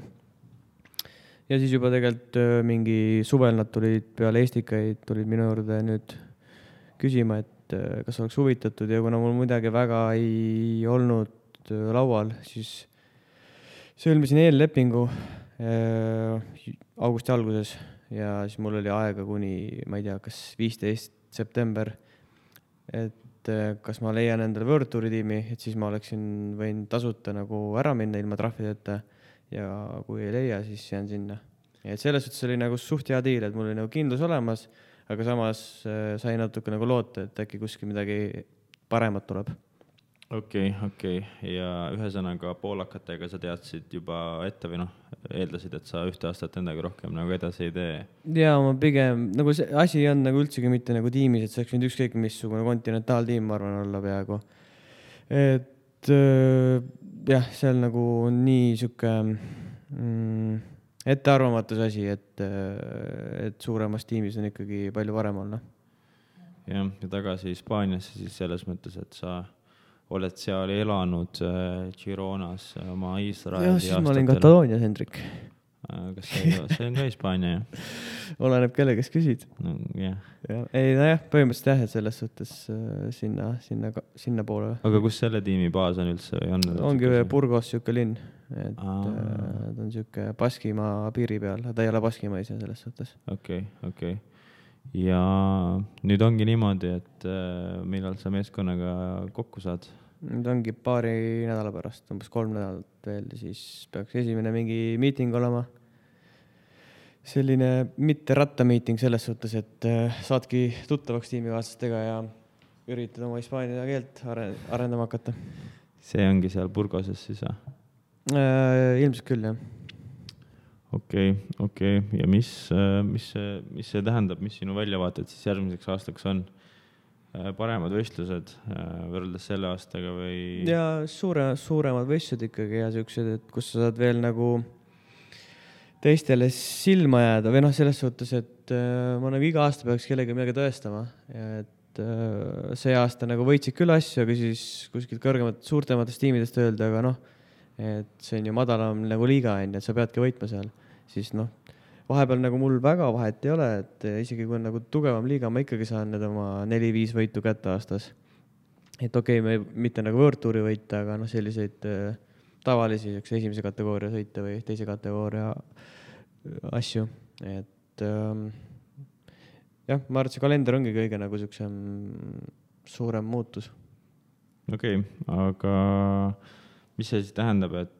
Ja siis juba tegelikult mingi suvel nad tulid peale Eestikaid, tulid minu juurde nüüd küsima, et kas oleks huvitatud ja kuna mul midagi väga ei olnud laual, siis sõlmisin eellepingu augusti alguses ja siis mul oli aega kuni, ma ei tea, kas 15. september, et kas ma leian endale World Touri tiimi, et siis ma oleksin võinud tasuta nagu ära minna ilma trahvideta ja kui ei leia, siis jään sinna. Ja selles suhtes oli nagu suht hea diil, et mul oli nagu kindlus olemas, aga samas sai natuke nagu loota, et äkki kuskil midagi paremat tuleb. Okei. Ja ühesõnaga poolakatega sa teadsid juba ette või noh, eeldasid, et sa ühte aastat endaga rohkem nagu edasi ei tee? Ja ma pigem, nagu see asi on nagu üldsegi mitte nagu tiimis, et see oleks võinud ükskõik missugune kontinentaaltiim, ma arvan, olla peaaegu. Et jah, seal nagu on nii siuke ettearvamatus asi, et suuremas tiimis on ikkagi palju parem olla. Ja tagasi Hispaaniasse siis selles mõttes, et sa oled seal elanud Gironas oma Iisraeli aastatel. Siis ma olin Kataloonias, Hendrik. Kas see on ka Hispaania, jah? Oleneb kelle, kes küsid. No, yeah. Ei, nojah, põhimõtteliselt jah, et selles suhtes sinna poole. Aga kus selle tiimi baas on üldse? Ongi Burgos siuke linn, et ta on siuke Baskimaa piiri peal, ta ei ole Baskimaa ise selles suhtes. Okei. Ja nüüd ongi niimoodi, et millal sa meeskonnaga kokku saad? Nüüd ongi paari nädala pärast, umbes 3 nädalat veel, siis peaks esimene mingi miiting olema. Selline mitte rattamiiting selles suhtes, et saadki tuttavaks tiimikaaslastega ja üritad oma hispaania keelt arendama hakata. See ongi seal Burgoses siis, jah? Ilmselt küll, jah. Okei. Ja mis see tähendab, mis sinu väljavaated siis järgmiseks aastaks on? Paremad võistlused võrreldes selle aastaga või? Ja suuremad võistlused ikkagi ja siuksed, et kus sa saad veel nagu teistele silma jääda või noh, selles suhtes, et ma nagu iga aasta peaks kellegi midagi tõestama. Et see aasta nagu võitsid küll asju, aga siis kuskilt suurtematest tiimidest öelda, aga noh, et see on ju madalam nagu liiga, et sa peadki võitma seal. Siis noh, vahepeal nagu mul väga vahet ei ole, et isegi kui on nagu tugevam liiga, ma ikkagi saan need oma 4-5 võitu kätte aastas. Et okei, me mitte nagu World Touri võita, aga noh, selliseid tavalisi esimese kategooria sõite või teise kategooria asju. Et jah, ma arvan, et see kalender ongi kõige nagu siuksem suurem muutus. Okei, aga mis see siis tähendab, et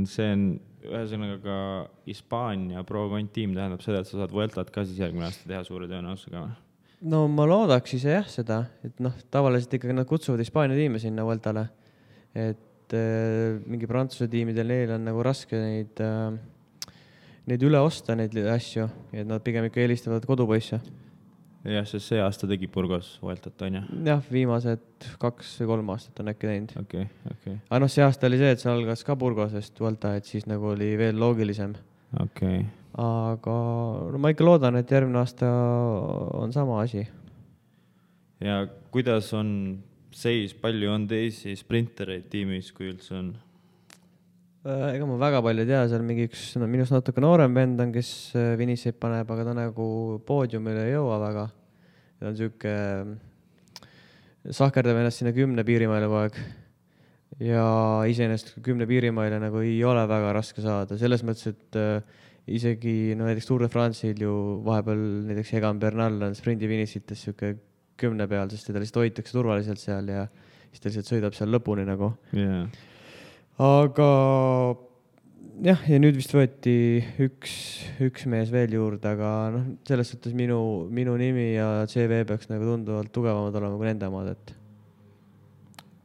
see on ühesõnaga ka Hispaania pro-kont-tiim tähendab seda, et sa saad Vueltat ka siis järgmine aasta teha suure tõenäosusega või? No ma loodaks ise jah seda, et noh, tavaliselt ikkagi nad kutsuvad Hispaania tiime sinna Vueltale, et mingi Prantsuse tiimidel neil on nagu raske neid üle osta, neid asju, et nad pigem ikka eelistavad kodupoisse. Jah, sest see aasta tegi Burgos Vueltat, on jah? Jah, viimased 2 või 3 aastat on äkki teinud. Okei. Aga noh, see aasta oli see, et see algas ka Burgosest Vuelta, et siis nagu oli veel loogilisem. Okei. Aga no, ma ikka loodan, et järgmine aasta on sama asi. Ja kuidas on seis, palju on teisi sprintereid tiimis, kui üldse on? Ega ma väga palju ei tea, seal mingi üks minust natuke noorem vend on, kes Viniseid paneb, aga ta nagu poodiumile ei jõua väga. Ta on siuke sahkerdab ennast sinna 10 piirimaile kogu aeg. Ja iseenesest 10 piirimaile nagu ei ole väga raske saada. Selles mõttes, et isegi no, näiteks Tour de France'il ju vahepeal näiteks Egan Bernal on sprindi Vinisites siuke 10 peal, sest teda lihtsalt hoitakse turvaliselt seal ja siis ta lihtsalt sõidab seal lõpuni nagu. Yeah. Aga jah, ja nüüd vist võeti üks mees veel juurde, aga noh, selles suhtes minu nimi ja CV peaks nagu tunduvalt tugevamad olema kui nende omad, et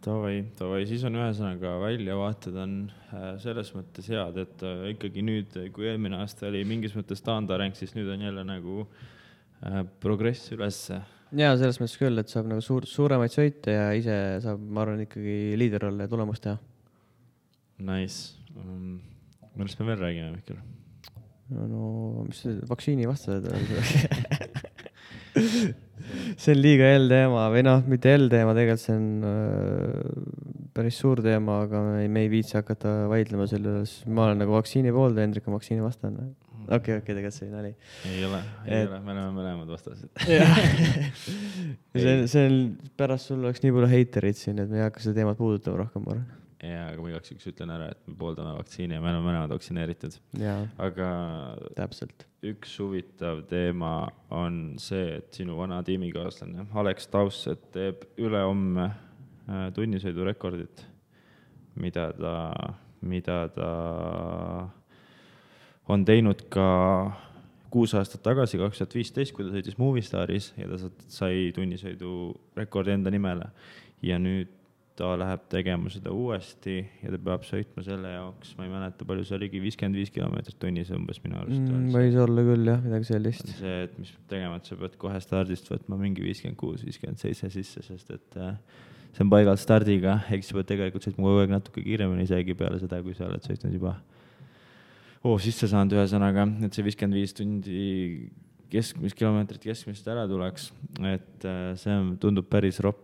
Davai, siis on ühesõnaga väljavaated on selles mõttes head, et ikkagi nüüd, kui eelmine aasta oli mingis mõttes taandareng, siis nüüd on jälle nagu progress ülesse. Ja selles mõttes küll, et saab nagu suuremaid sõite ja ise saab, ma arvan, ikkagi liider olla ja tulemust teha. Nice. Millest me veel räägime, Mihkel? No mis vaktsiini vastased see on liiga teema või noh, mitte teema, tegelikult see on päris suur teema, aga me ei viitsi hakata vaidlema selle üles. Ma olen nagu vaktsiini poolda, Hendrik on vaktsiini vastane. Okei, tegelikult see nali. Ei ole, me oleme mõlemad vastased. see on pärast sul oleks nii palju heiterid siin, et me ei hakka seda teemat puudutama rohkem, ma arvan. Ja, aga ma igaks üks ütlen ära, et me pooldame vaktsiini ja me oleme mõlemad vaktsineeritud. Aga täpselt. Üks huvitav teema on see, et sinu vana tiimikaaslane Alex Tausset teeb ülehomme tunnisõidurekordit, mida ta on teinud ka 6 aastat tagasi, 2015, kui ta sõitis Movistaris ja ta sai tunnisõidurekordi enda nimele. Ja nüüd ta läheb tegema seda uuesti ja ta peab sõitma selle jaoks, ma ei mäleta palju, see oligi 55 kilomeetrit tunnis umbes minu arust. Võis olla küll jah, midagi sellist. See, et mis peab tegema, et sa pead kohe stardist võtma mingi 56-57 sisse, sest et see on paigalt stardiga, eks sa pead tegelikult sõitma kogu aeg natuke kiiremini isegi peale seda, kui sa oled sõitnud juba sisse saanud ühesõnaga, et see 55 tundi kilomeetrit keskmist ära tuleks, et see tundub päris ropp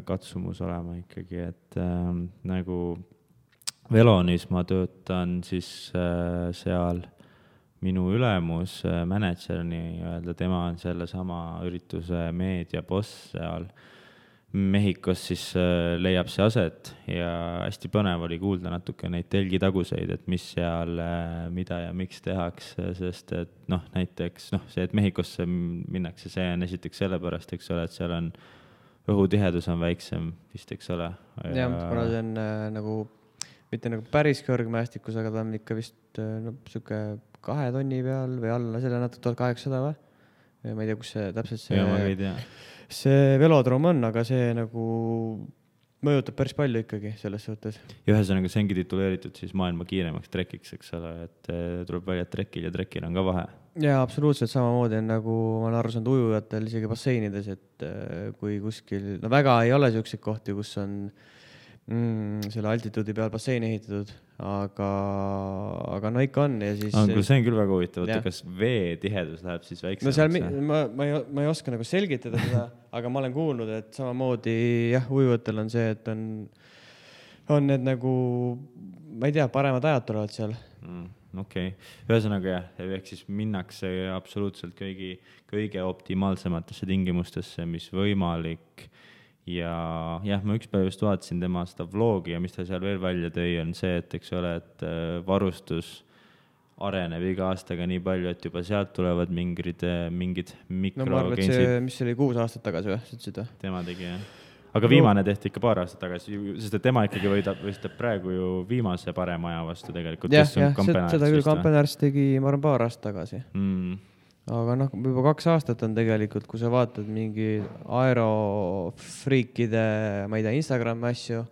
katsumus olema ikkagi, et nagu Velonis ma töötan siis seal minu ülemus, manager nii-öelda, tema on selle sama ürituse meediaboss seal Mehhikos, siis leiab see aset ja hästi põnev oli kuulda natuke neid telgitaguseid, et mis seal, mida ja miks tehakse, sest et näiteks see, et Mehhikosse minnakse, see on esiteks sellepärast, eks ole, et seal on õhutihedus on väiksem vist, eks ole. Jah, kuna see on nagu, mitte nagu päris kõrgmäestikus, aga ta on ikka vist süuke 2 tonni peal või alla selle natuke 1800 või? Ma ei tea, kus see täpselt see velodroom on, aga see nagu mõjutab päris palju ikkagi selles suhtes. Ja ühesõnaga see ongi tituleeritud siis maailma kiiremaks trekiks, eks ole, et tuleb välja trekil ja trekil on ka vahe. Ja absoluutselt samamoodi on nagu ma olen aru saanud ujujatel isegi basseinides, et kui kuskil, väga ei ole selliseid kohti, kus on selle altituudi peal bassein ehitatud, aga ikka on. Ja siis, see on küll väga huvitav, kas vee tihedus läheb siis väiksemaks? Ma ei oska nagu selgitada seda, aga ma olen kuulnud, et samamoodi ujujatel on see, et on need nagu, ma ei tea, paremad ajad tulevad seal. Okei. Ühesõnaga ehk siis minnakse absoluutselt kõige optimaalsematesse tingimustesse, mis võimalik. Ja ma üks päev just vaatasin tema seda vlogi ja mis ta seal veel välja tõi, on see, et eks ole, et varustus areneb iga aastaga nii palju, et juba sealt tulevad mingid mikro. Ma arvan, et see, mis oli 6 aastat tagasi või? Tema tegi, jah. Aga viimane tehti ikka paar aastat tagasi, sest et tema ikkagi võistab praegu ju viimase parema aja vastu tegelikult. Jah, seda küll Kampenärs tegi, ma arvan, paar aastat tagasi. Aga juba 2 aastat on tegelikult, kui sa vaatad mingi aerofriikide, ma ei tea, Instagrami asju,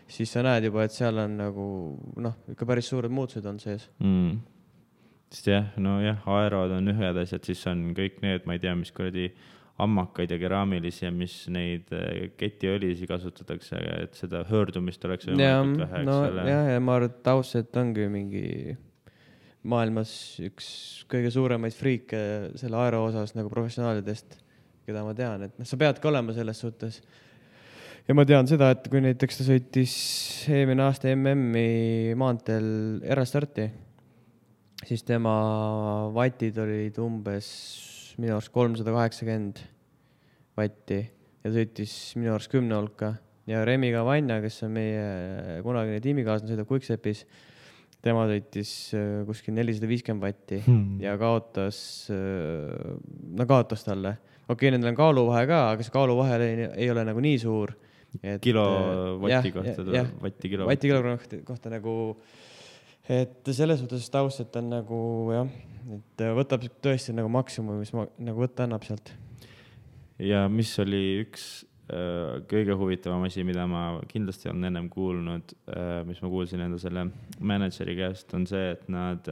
siis sa näed juba, et seal on nagu, ikka päris suured muutused on sees. Sest aerod on ühed asjad, siis on kõik need, ma ei tea, mis kuradi ammakaid ja keraamilisi ja mis neid ketiõlisi kasutatakse, et seda höördumist oleks võimalikult vähe. Ja ma arvan, et Tausset ongi mingi maailmas üks kõige suuremaid friike selle aero osas nagu professionaalidest, keda ma tean, et sa peadki olema selles suhtes. Ja ma tean seda, et kui näiteks ta sõitis eelmine aasta MM-i maanteel erastarti, siis tema vatid olid umbes minu arust 380 vatti ja sõitis minu arust 10 hulka. Ja Remi Cavagna, kes on meie kunagine tiimikaaslane, sõidab Quick-Stepis, tema sõitis kuskil 450 vatti ja kaotas talle. Okei, nendel on kaaluvahe ka, aga see kaaluvahe ei ole nagu nii suur. Kilovatti kohta, vatti kilo. Vatti kilogramm kohta nagu, et selles suhtes Tausset on nagu et võtab tõesti nagu maksimum, mis nagu võtta annab sealt. Ja mis oli üks kõige huvitavam asi, mida ma kindlasti olen ennem kuulnud, mis ma kuulsin enda selle manager'i käest, on see, et nad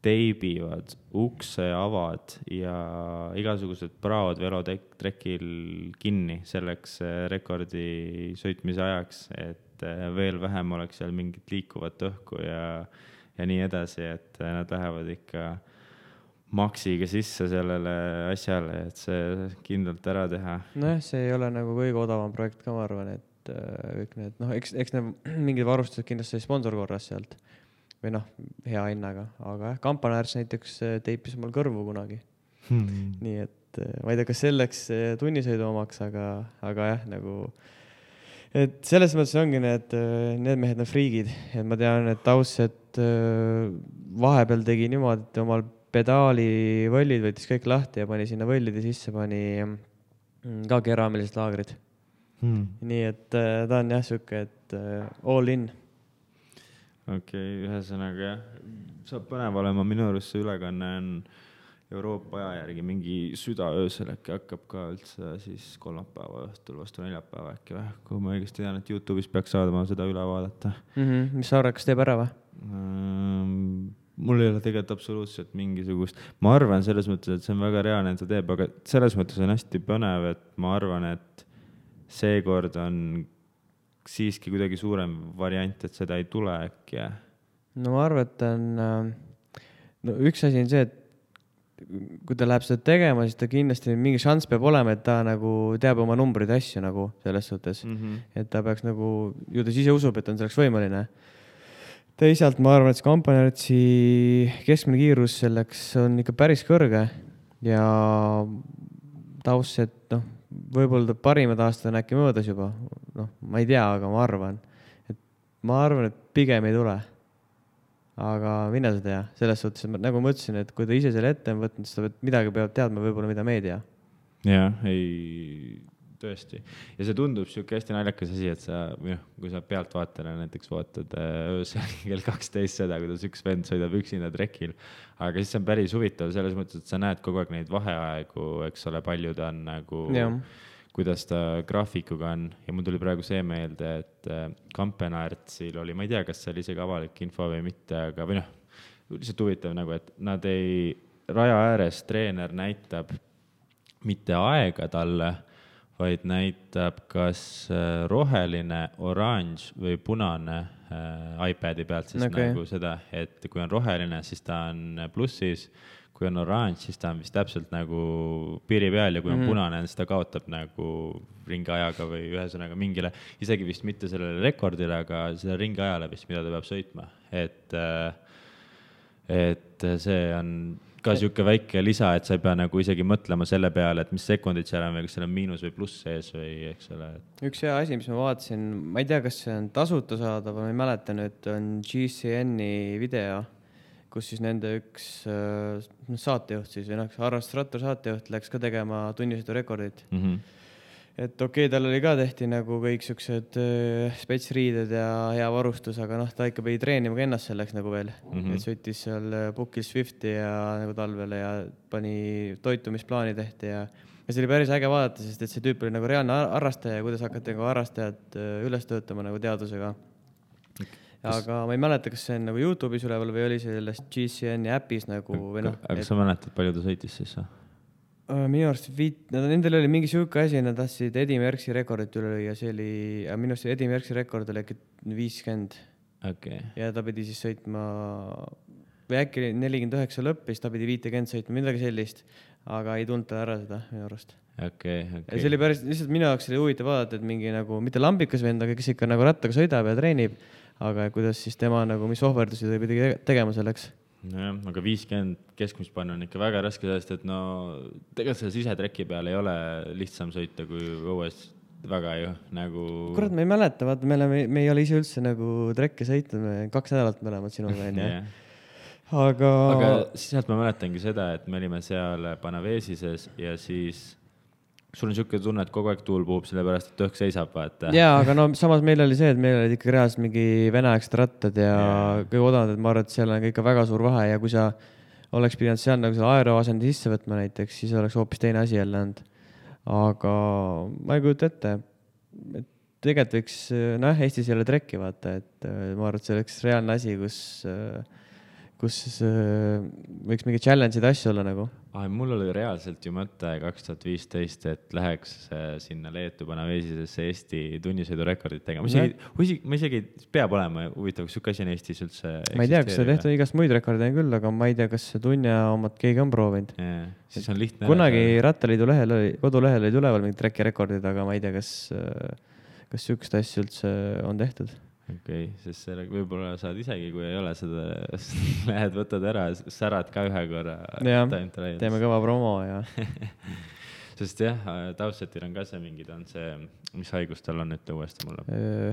teibivad ukseavad ja igasugused praod velotrekil kinni selleks rekordi sõitmise ajaks, et veel vähem oleks seal mingit liikuvat õhku ja nii edasi, et nad lähevad ikka maksiga sisse sellele asjale, et see kindlalt ära teha. Nojah, see ei ole nagu kõige odavam projekt ka, ma arvan, et kõik need, noh, eks need mingid varustused kindlasti sponsor korras sealt või noh, hea hinnaga, aga jah, Kampanäärs näiteks teipis mul kõrvu kunagi. Nii et ma ei tea, kas selleks tunnisõidu omaks, aga jah, nagu, et selles mõttes ongi need mehed on friigid, et ma tean, et Tausset vahepeal tegi niimoodi, et omal pedaalivõllid võttis kõik lahti ja pani sinna võllide sisse, pani ka keraamilised laagrid. Nii et ta on jah siuke, et all in. Okei, ühesõnaga jah, saab põnev olema, minu arust see ülekanne on Euroopa aja järgi mingi südaöösel äkki hakkab ka üldse siis kolmapäeva õhtul vastu neljapäeva äkki või, kui ma õigesti tean, et YouTube'is peaks saadama seda üle vaadata. Mis sa arvad, kas teeb ära või? Mul ei ole tegelikult absoluutselt mingisugust, ma arvan selles mõttes, et see on väga reaalne, et ta teeb, aga selles mõttes on hästi põnev, et ma arvan, et seekord on siiski kuidagi suurem variant, et seda ei tule äkki. No ma arvan, et on, no üks asi on see, et kui ta läheb seda tegema, siis ta kindlasti mingi šanss peab olema, et ta nagu teab oma numbrid asju nagu selles suhtes, et ta peaks nagu, ju ta ise usub, et on selleks võimaline. Teisalt ma arvan, et see Kampanärtsi keskmine kiirus selleks on ikka päris kõrge ja Tausset, noh, võib-olla ta parimad aastad on äkki möödas juba, noh, ma ei tea, aga ma arvan, et pigem ei tule. Aga mine sa tea, selles suhtes, nagu ma ütlesin, et kui ta ise selle ette on võtnud, siis ta midagi peab teadma võib-olla, mida me ei tea. Jah, ei, tõesti. Ja see tundub siuke hästi naljakas asi, et sa, kui sa pealtvaatajana näiteks vaatad öösel kell 12 seda, kuidas üks vend sõidab üksinda trekil, aga siis see on päris huvitav selles mõttes, et sa näed kogu aeg neid vaheaegu, eks ole, palju ta on nagu, kuidas ta graafikuga on ja mul tuli praegu see meelde, et Kampanärtsil oli, ma ei tea, kas see oli isegi avalik info või mitte, aga või lihtsalt huvitav nagu, et nad ei, raja ääres treener näitab mitte aega talle, vaid näitab kas roheline, oranž või punane iPadi pealt siis nagu seda, et kui on roheline, siis ta on plussis, kui on oranž, siis ta on vist täpselt nagu piiri peal ja kui on punane, siis ta kaotab nagu ringiajaga või ühesõnaga mingile, isegi vist mitte sellele rekordile, aga selle ringiajale vist, mida ta peab sõitma. Et see on ka siuke väike lisa, et sa ei pea nagu isegi mõtlema selle peale, et mis sekundid seal on või kas seal on miinus või pluss sees või eks ole. Üks hea asi, mis ma vaatasin, ma ei tea, kas see on tasuta saada, ma ei mäleta nüüd, on GCN-i video, kus siis nende üks saatejuht siis või harrastusrattur saatejuht läks ka tegema tunnisõidu rekordit. Et okei, tal oli ka tehti nagu kõik siuksed spetsriided ja hea varustus, aga noh, ta ikka pidi treenima ka ennast selleks nagu veel. Et sõitis seal Bookil Swifti ja nagu talvele ja pani toitumisplaani tehti ja see oli päris äge vaadata, sest et see tüüp oli nagu reaalne harrastaja ja kuidas hakati nagu harrastajad üles töötama nagu teadusega. Aga ma ei mäleta, kas see on nagu YouTube'is üleval või oli selles GCN-i äpis nagu või noh. Aga sa mäletad, palju ta sõitis siis? Minu arust nendel oli mingi siuke asi, nad tahtsid Eddie Merckxi rekordit üle lüüa, see oli, minu arust Eddie Merckxi rekord oli äkki 50. Ja ta pidi siis sõitma, või äkki 49 lõppis, ta pidi 50 sõitma, midagi sellist, aga ei tulnud ta ära seda minu arust. Ja see oli päris, lihtsalt minu jaoks oli huvitav vaadata, et mingi nagu, mitte lambikas vend, aga kes ikka nagu rattaga sõidab ja treenib, aga kuidas siis tema nagu, mis ohverdusi ta pidi tegema selleks. Nojah, aga 50 keskmist panna on ikka väga raske sellest, et no tegelikult selle sisetreki peal ei ole lihtsam sõita kui õues väga ju nagu... Kurat, ma ei mäleta, vaata, me ei ole ise üldse nagu trekke sõitnud, me 2 nädalat mõlemad sinuga on, jah. Aga sealt ma mäletangi seda, et me olime seal Panavesises ja siis sul on siuke tunne, et kogu aeg tuul puhub, sellepärast, et õhk seisab, vaata. Jaa, aga no samas meil oli see, et meil olid ikka reaalselt mingi veneaegsed rattad ja kõige odavad, et ma arvan, et seal on ikka väga suur vahe ja kui sa oleks pidanud seal nagu selle aero asendi sisse võtma näiteks, siis oleks hoopis teine asi jälle olnud. aga ma ei kujuta ette, et tegelikult võiks, Eestis ei ole trekki vaata, et ma arvan, et see oleks reaalne asi, kus võiks mingi challenge'id asju olla nagu. Mul oli reaalselt ju mõte 2015, et läheks sinna Leetu Panaveesisesse Eesti tunnisõidurekordit tegema. Ma isegi peab olema huvitav, kas siuke asi on Eestis üldse ma ei tea, kas see tehtud igast muid rekordeid küll, aga ma ei tea, kas see tunja omad keegi on proovinud. Siis on lihtne. Kunagi Rattaliidu kodulehel olid üleval mingid trekirekordid, aga ma ei tea, kas siukest asja üldse on tehtud. Okei, sest võib-olla saad isegi, kui ei ole seda, lähed, võtad ära, särad ka ühe korra. Jah, teeme kõva promo ja sest jah, Tausetil on ka see mingid, on see, mis haigus tal on, ütle uuesti mulle.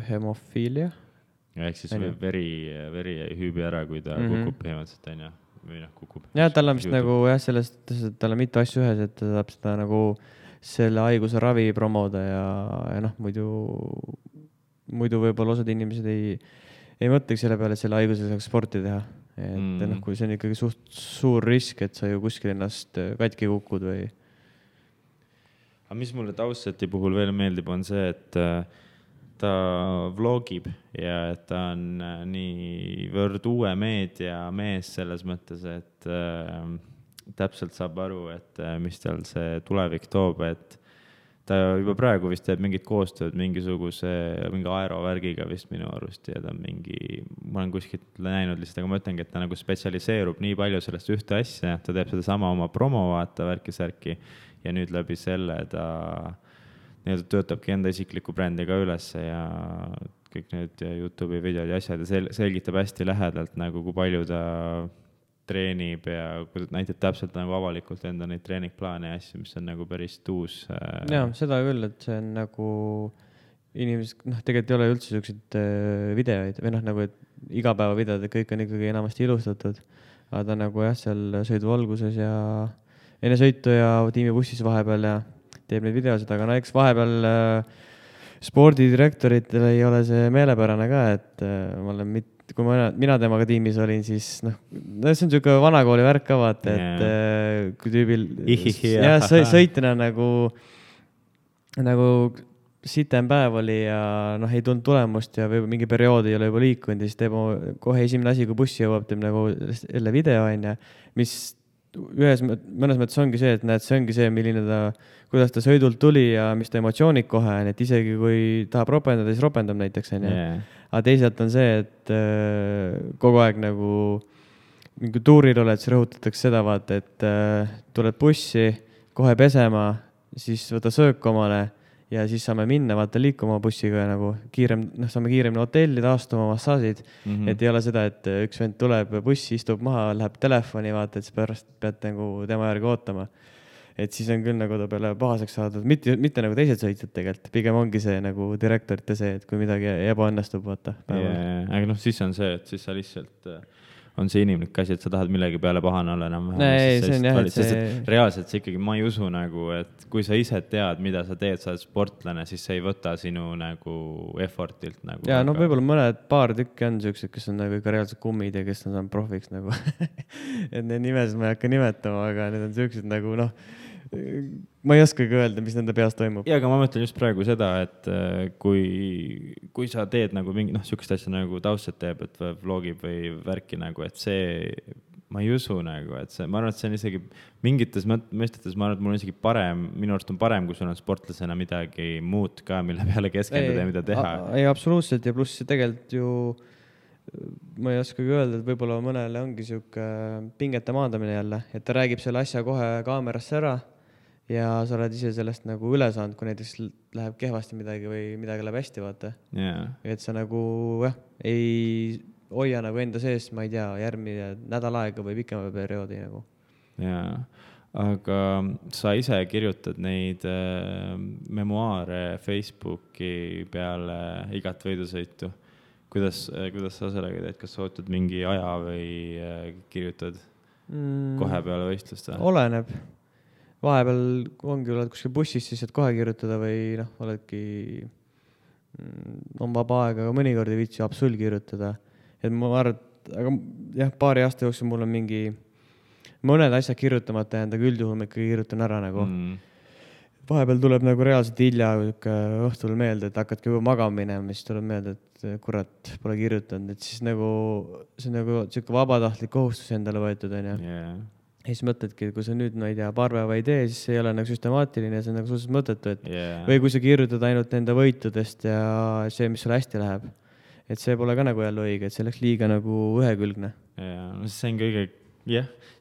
Hemofiilia. Ehk siis veri ei hüübi ära, kui ta kukub põhimõtteliselt, on ju, või kukub. Jah, tal on vist nagu sellest, et tal on mitu asju ühes, et ta saab seda nagu selle haiguse ravi promoda ja muidu võib-olla osad inimesed ei mõtleks selle peale, et selle haigusel saaks sporti teha. Et kui see on ikkagi suht suur risk, et sa ju kuskil ennast katki kukud või. Aga mis mulle Tauseti puhul veel meeldib, on see, et ta vlogib ja et ta on niivõrd uue meedia mees selles mõttes, et täpselt saab aru, et mis tal see tulevik toob, et ta juba praegu vist teeb mingit koostööd mingi aerovärgiga vist minu arust ja ta on ma olen kuskilt näinud lihtsalt, aga ma ütlengi, et ta nagu spetsialiseerub nii palju sellest ühte asja, ta teeb seda sama oma promo vaata värki-särki ja nüüd läbi selle ta töötabki enda isikliku brändi ka üles ja kõik need YouTube'i videod ja asjad ja selgitab hästi lähedalt nagu kui palju ta treenib ja näitab täpselt nagu avalikult enda neid treeningplaane ja asju, mis on nagu päris tuus. Jaa, seda küll, et see on nagu inimesed, tegelikult ei ole üldse selliseid videoid või nagu, et igapäevavideod, et kõik on ikkagi enamasti ilustatud, aga ta nagu seal sõidu alguses ja enne sõitu ja tiimibussis vahepeal ja teeb neid videosid, aga eks vahepeal spordidirektoritel ei ole see meelepärane ka, et ma olen kui mina temaga tiimis olin, siis see on niisugune vanakooli värk ka vaata, et kui tüübil sõitjana nagu sitem päev oli ja ei tulnud tulemust ja või mingi perioodi ei ole juba liikunud ja siis teeb kohe esimene asi, kui bussi jõuab, teeb nagu jälle video on ja mis mõnes mõttes ongi see, et näed, see ongi see, kuidas ta sõidult tuli ja mis ta emotsioonid kohe on, et isegi kui tahab ropendada, siis ropendab näiteks on ja aga teisalt on see, et kogu aeg nagu mingi tuuril oled, siis rõhutatakse seda vaata, et tuled bussi, kohe pesema, siis võta söök omale ja siis saame minna vaata liikuma bussiga nagu saame kiiremini hotelli, taastuma massaažid, et ei ole seda, et üks vend tuleb bussi, istub maha, läheb telefoni vaata, et siis pärast pead nagu tema järgi ootama. Et siis on küll nagu ta peale pahaseks saadud, mitte nagu teised sõitjad tegelikult, pigem ongi see nagu direktorite see, et kui midagi ebaõnnestub, vaata. Aga siis on see, et siis sa lihtsalt on see inimlik asi, et sa tahad millegi peale pahane olla enam. Reaalselt see ikkagi, ma ei usu nagu, et kui sa ise tead, mida sa teed, sa oled sportlane, siis see ei võta sinu nagu effortilt nagu. Ja võib-olla paar tükki on sellised, kes on nagu ikka reaalselt kummid ja kes on saanud profiks nagu. Et need nimesid ma ei hakka nimetama, aga need on sellised nagu ma ei oskagi öelda, mis nende peas toimub. Ja, aga ma mõtlen just praegu seda, et kui sa teed nagu mingi, sükest asja nagu Tausset teeb, et vlogib või värki nagu, et see, ma ei usu nagu, et see, ma arvan, et see on isegi mingites mõistetes, ma arvan, et mul on isegi parem, minu arust on parem, kui sul on sportlasena midagi muud ka, mille peale keskenduda ja mida teha. Ei, absoluutselt ja pluss tegelikult ju ma ei oskagi öelda, et võib-olla mõnele ongi siuke pingete maandamine jälle, et ta räägib selle asja kohe kaamerasse ära ja sa oled ise sellest nagu üle saanud, kui näiteks läheb kehvasti midagi või midagi läheb hästi, vaata. Et sa nagu ei hoia nagu enda sees, ma ei tea, järgmine nädal aega või pikema perioodi nagu. Jaa, aga sa ise kirjutad neid memuaare Facebooki peale igat võidusõitu. Kuidas sa sellega teed, kas sa ootad mingi aja või kirjutad kohe peale võistlust? Oleneb. Vahepeal ongi, oled kuskil bussis, siis saad kohe kirjutada või oledki on vaba aega, aga mõnikord ei viitsi absol kirjutada. Et ma arvan, aga jah, paari aasta jooksul mul on mingi mõned asjad kirjutamata jäänud, aga üldjuhul ma ikka kirjutan ära nagu. vahepeal tuleb nagu reaalselt hilja õhtul meelde, et hakkadki juba magama minema, siis tuleb meelde, et kurat, pole kirjutanud, et siis nagu see on nagu sihuke vabatahtlik kohustus endale võetud, onju. Ja siis mõtledki, et kui sa nüüd, ma ei tea, paar päeva ei tee, siis see ei ole nagu süstemaatiline, see on nagu suhteliselt mõttetu, et või kui sa kirjutad ainult enda võitudest ja see, mis sul hästi läheb, et see pole ka nagu jälle õige, et see läks liiga nagu ühekülgne. See on kõige,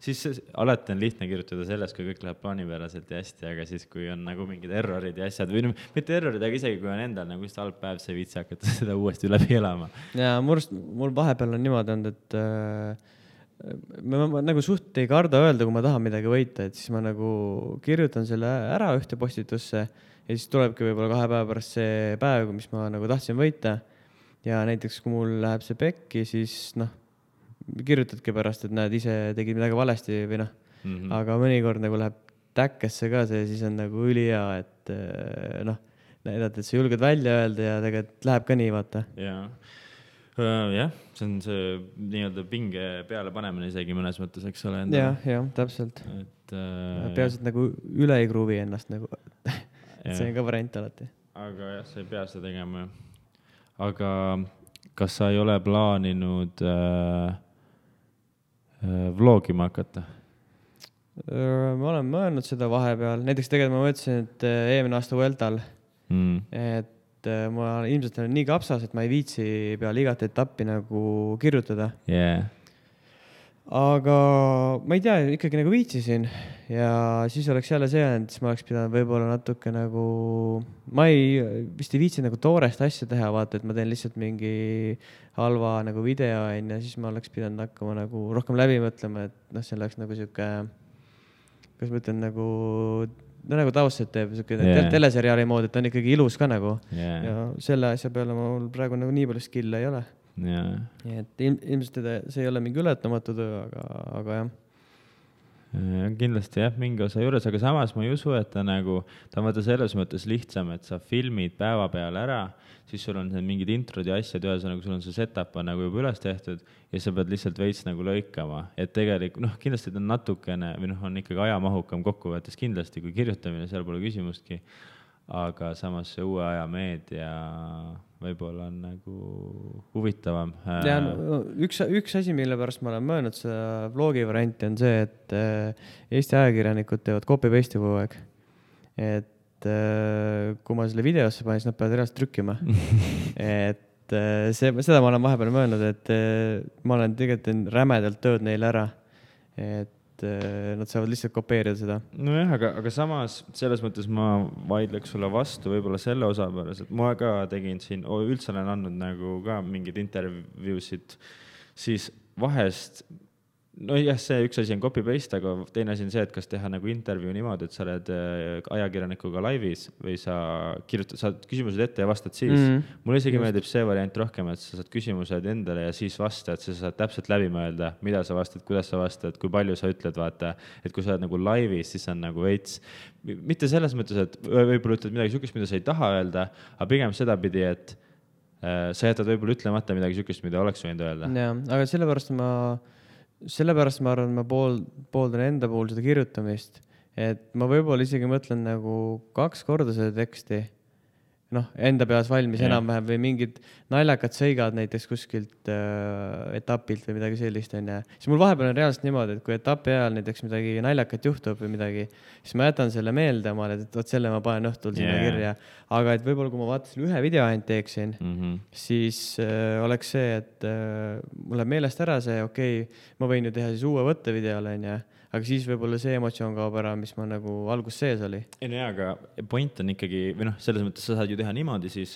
siis alati on lihtne kirjutada sellest, kui kõik läheb plaanipäraselt ja hästi, aga siis, kui on nagu mingid errorid ja asjad või mitte errorid, aga isegi kui on endal nagu just halb päev, sa ei viitsi hakata seda uuesti läbi elama. Ja mul vahepeal on niimoodi olnud, et ma nagu suht ei karda öelda, kui ma tahan midagi võita, et siis ma nagu kirjutan selle ära ühte postitusse ja siis tulebki võib-olla 2 päeva pärast see päev, mis ma nagu tahtsin võita. Ja näiteks, kui mul läheb see pekki, siis kirjutadki pärast, et näed, ise tegid midagi valesti või aga mõnikord nagu läheb täkkesse ka see, siis on nagu ülihea, et näidata, et sa julged välja öelda ja tegelikult läheb ka nii, vaata. Jah, see on see nii-öelda pinge peale panemine isegi mõnes mõttes, eks ole. Jah, täpselt. Peaasi, et nagu üle ei kruvi ennast nagu. See on ka variant alati. Aga jah, sa ei pea seda tegema. Aga kas sa ei ole plaaninud vlogima hakata? Ma olen mõelnud seda vahepeal. Näiteks tegelikult ma mõtlesin, et eelmine aasta Vueltal, et ma ilmselt olen nii kapsas, et ma ei viitsi peale igat etappi nagu kirjutada. Aga ma ei tea, ikkagi nagu viitsisin ja siis oleks jälle see, et siis ma oleks pidanud võib-olla natuke nagu, ma vist ei viitsi nagu toorest asja teha, vaata, et ma teen lihtsalt mingi halva nagu video ja siis ma oleks pidanud hakkama nagu rohkem läbi mõtlema, et see oleks nagu siuke, kas ma ütlen nagu taustet teeb teleseriaali moodi, et on ikkagi ilus ka nagu ja selle asja peale mul praegu nagu nii palju skill'e ei ole. Et ilmselt see ei ole mingi ületamatu töö, aga jah. Kindlasti jah, mingi osa juures, aga samas ma ei usu, et ta on vaata selles mõttes lihtsam, et sa filmid päeva peale ära, siis sul on mingid introd ja asjad, ühesõnaga sul on see setup nagu juba üles tehtud ja sa pead lihtsalt veits nagu lõikama, et tegelikult kindlasti ta on natukene või on ikkagi ajamahukam kokkuvõttes kindlasti kui kirjutamine, seal pole küsimustki, aga samas see uue aja meedia võib-olla on nagu huvitavam. Ja üks asi, mille pärast ma olen mõelnud seda vlogi varianti on see, et Eesti ajakirjanikud teevad copy-paste'i kogu aeg. Et kui ma selle videosse panen, siis nad peavad reaalselt trükkima. Et seda ma olen vahepeal mõelnud, et ma olen tegelikult rämedalt tööd neile ära. Et nad saavad lihtsalt kopeerida seda. Nojah, aga samas selles mõttes ma vaidleks sulle vastu võib-olla selle osa pärast, et ma ka tegin siin, üldse olen andnud nagu ka mingid intervjuusid, siis vahest, see üks asi on copy-paste, aga teine asi on see, et kas teha nagu intervjuu niimoodi, et sa oled ajakirjanikuga laivis või sa saad küsimused ette ja vastad siis. Mulle isegi meeldib see variant rohkem, et sa saad küsimused endale ja siis vastad, sa saad täpselt läbi mõelda, mida sa vastad, kuidas sa vastad, kui palju sa ütled, vaata, et kui sa oled nagu laivis, siis on nagu veits, mitte selles mõttes, et võib-olla ütled midagi sükest, mida sa ei taha öelda, aga pigem sedapidi, et sa jätad võib-olla ütlemata midagi sükest, mida oleks võinud öelda. Ja, aga sellepärast ma arvan, ma pooldan enda puhul seda kirjutamist, et ma võib-olla isegi mõtlen nagu 2 korda seda teksti, enda peas valmis enam-vähem või mingid naljakad sõigad näiteks kuskilt etapilt või midagi sellist on ja siis mul vahepeal on reaalselt niimoodi, et kui etapi ajal näiteks midagi naljakat juhtub või midagi, siis ma jätan selle meelde omale, et selle ma panen õhtul sinna kirja, aga et võib-olla kui ma vaatasin ühe video ainult teeksin, siis oleks see, et mul läheb meelest ära see, ma võin ju teha siis uue võttevideole on ja aga siis võib-olla see emotsioon kaob ära, mis ma nagu algus sees oli. Aga point on ikkagi, või selles mõttes sa saad ju teha niimoodi siis,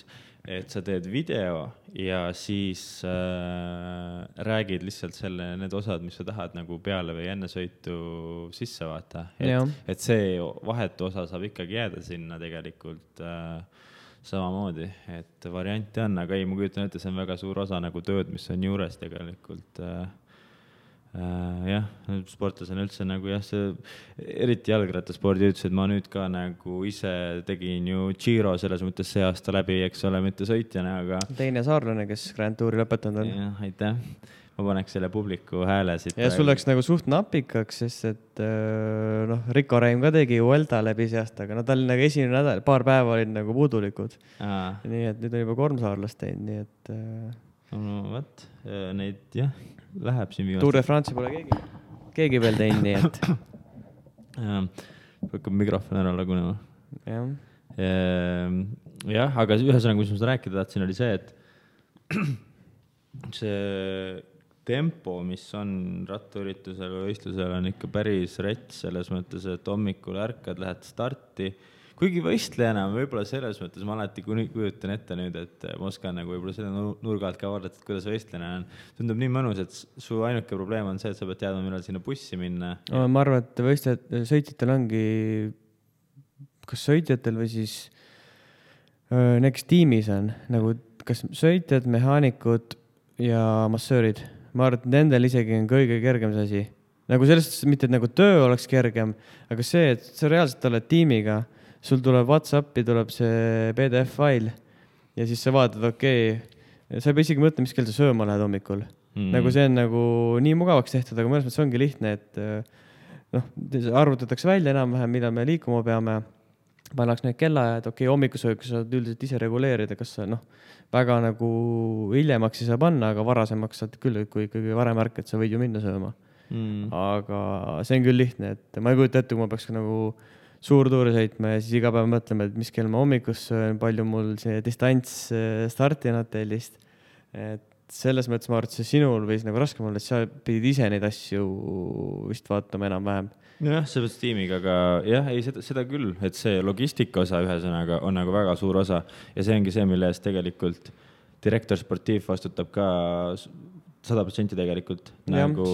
et sa teed video ja siis räägid lihtsalt need osad, mis sa tahad nagu peale või enne sõitu sisse vaata. Et see vahetu osa saab ikkagi jääda sinna tegelikult samamoodi, et varianti on, aga ei, ma kujutan ette, see on väga suur osa nagu tööd, mis on juures tegelikult jah, sportlasena üldse nagu jah, see eriti jalgrattaspordi ütles, et ma nüüd ka nagu ise tegin ju Giro selles mõttes see aasta läbi, eks ole, mitte sõitjana, aga teine saarlane, kes Grand Touri lõpetanud on. jah, aitäh. Ma paneks selle publiku hääle siit. Ja sul läks nagu suht napikaks, sest et noh, Rico Reim ka tegi Vuelta läbi see aasta, aga no tal nagu esimene nädal, paar päeva olid nagu puudulikud. Nii et nüüd on juba 3 saarlast teinud, nii et no võt, neid jah, läheb siin viimast. Tour de France pole keegi veel teinud, nii et hakkab mikrofon ära lagunema. jah. Jah, aga ühesõnaga, mis ma seda rääkida tahtsin, oli see, et see tempo, mis on rattaüritusel või võistlusel, on ikka päris rets selles mõttes, et hommikul ärkad, lähed starti. Kuigi võistlejana võib-olla selles mõttes ma alati kujutan ette nüüd, et ma oskan nagu võib-olla selle nurga alt ka vaadata, et kuidas võistlejana on. Tundub nii mõnus, et su ainuke probleem on see, et sa pead teadma, millal sinna bussi minna. Ma arvan, et sõitjatel ongi, kas sõitjatel või siis näiteks tiimis on nagu kas sõitjad, mehaanikud ja massöörid. Ma arvan, et nendel isegi on kõige kergem see asi. Nagu sellest mitte, et nagu töö oleks kergem, aga see, et sa reaalselt oled tiimiga, sul tuleb WhatsAppi, tuleb see PDF-fail ja siis sa vaatad, okei, sa ei pea isegi mõtlema, mis kell sa sööma lähed hommikul. Nagu see on nagu nii mugavaks tehtud, aga mõnes mõttes ongi lihtne, et noh, arvutatakse välja enam-vähem, millal me liikuma peame, pannaks need kellaajad, okei, hommikusööki saad üldiselt ise reguleerida, kas sa väga nagu hiljemaks ei saa panna, aga varasemaks saad küll, kui ikkagi varem ärkad, sa võid ju minna sööma. Aga see on küll lihtne, et ma ei kujuta ette, kui ma peaks nagu suur tuuri sõitma ja siis iga päev mõtlema, et mis kell ma hommikus söön, palju mul see distants starti on hotellist. Et selles mõttes ma arvan, et see sinul võis nagu raskem olla, et sa pidid ise neid asju vist vaatama enam-vähem. Jah, see peaks tiimiga, aga jah, ei seda küll, et see logistika osa ühesõnaga on nagu väga suur osa ja see ongi see, mille eest tegelikult direktor sportiiv vastutab ka 100% tegelikult. Nagu,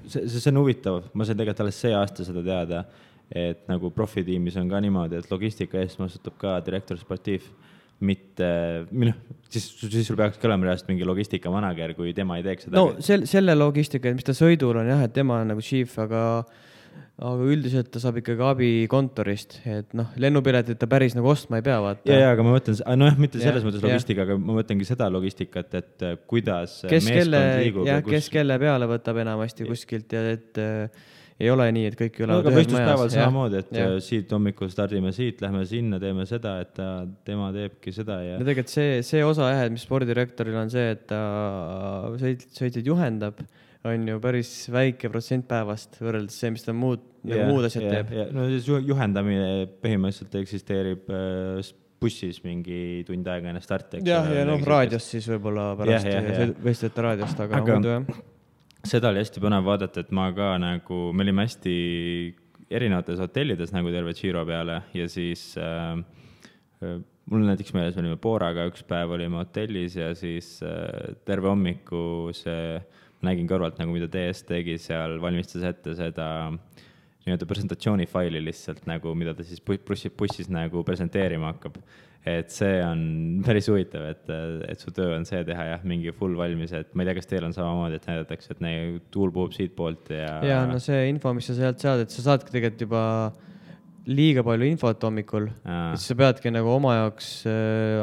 see on huvitav, ma sain tegelikult alles see aasta seda teada, et nagu profitiimis on ka niimoodi, et logistika eest vastutab ka direktor sportiiv, mitte, siis sul peaks ka olema reaalselt mingi logistika manager, kui tema ei teeks seda. No selle logistika, mis ta sõidul on jah, et tema on nagu chief, aga üldiselt ta saab ikkagi abi kontorist, et lennupiletit ta päris nagu ostma ei pea vaata. Ja, aga ma mõtlen, mitte selles mõttes logistika, aga ma mõtlengi seda logistikat, et kuidas meeskond liigub. Kes kelle peale võtab enamasti kuskilt ja et ei ole nii, et kõik ülevad ühes majas. Võistluspäeval samamoodi, et siit hommikul stardime siit, lähme sinna, teeme seda, et tema teebki seda. Ja tegelikult see osa mis spordidirektoril on see, et ta sõitjaid juhendab, on ju päris väike protsent päevast võrreldes see, mis ta muud asjad teeb. No siis juhendamine põhimõtteliselt eksisteerib bussis mingi tund aega enne starti. Ja raadios siis võib-olla pärast võistlejate raadiost, aga muidu jah. Seda oli hästi põnev vaadata, et ma ka nagu, me olime hästi erinevates hotellides nagu terve Giro peale ja siis mul näiteks meeles olime Booraga, üks päev olime hotellis ja siis terve hommiku nägin kõrvalt nagu mida TS tegi seal, valmistas ette seda nii-öelda presentatsioonifaili lihtsalt nagu, mida ta siis bussis nagu presenteerima hakkab. Et see on päris huvitav, et su töö on see teha mingi full valmis, et ma ei tea, kas teil on samamoodi, et näidatakse, et tuul puhub siit poolt ja no see info, mis sa sealt saad, et sa saadki tegelikult juba liiga palju infot hommikul, et sa peadki nagu oma jaoks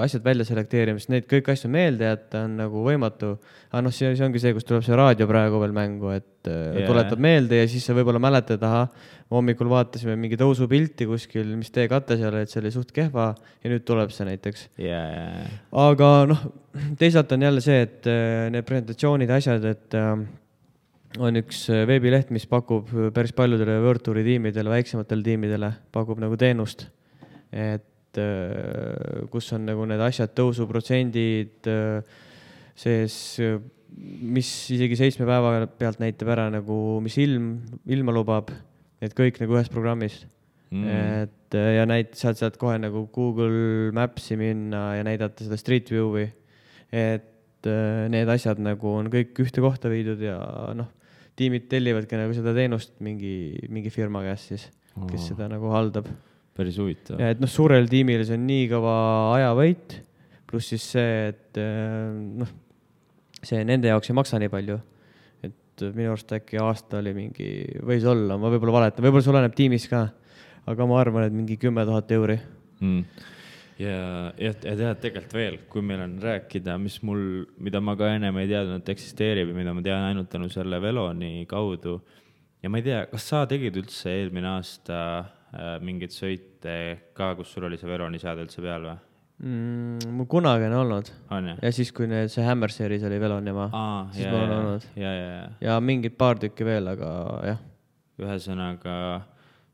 asjad välja selekteerima, sest neid kõik asju meelde jätta on nagu võimatu. Aga see ongi see, kus tuleb see raadio praegu veel mängu, et tuletab meelde ja siis sa võib-olla mäletad, hommikul vaatasime mingi tõusupilti kuskil, mis tee katte seal, et see oli suht kehva ja nüüd tuleb see näiteks. Aga teisalt on jälle see, et need presentatsioonid asjad, et on üks veebileht, mis pakub päris paljudele World Touri tiimidele, väiksematele tiimidele, pakub nagu teenust, et kus on nagu need asjad, tõusuprotsendid sees, mis isegi 7 päeva pealt näitab ära nagu, mis ilma lubab, et kõik nagu ühes programmis. Et, ja sealt kohe nagu Google Maps'i minna ja näidata seda Street View'i, et need asjad nagu on kõik ühte kohta viidud ja tiimid tellivadki nagu seda teenust mingi firma käest siis, kes seda nagu haldab. Päris huvitav. Ja et suurel tiimil see on nii kõva ajavõit, pluss siis see, et see nende jaoks ei maksa nii palju. Et minu arust äkki aasta oli mingi, võis olla, ma võib-olla valetan, võib-olla see oleneb tiimis ka, aga ma arvan, et mingi 10 000 euri. Ja tead tegelikult veel, kui meil on rääkida, mida ma ka ennem ei teadnud, et eksisteerib ja mida ma tean ainult tänu selle Veloni kaudu. Ja ma ei tea, kas sa tegid üldse eelmine aasta mingeid sõite ka, kus sul oli see Veloni seade üldse peal või? Mul kunagi on olnud. On, ja? Ja siis, kui see Hammer Series oli Velon ja siis mul on olnud. Ja mingid paar tükki veel, aga jah. Ühesõnaga,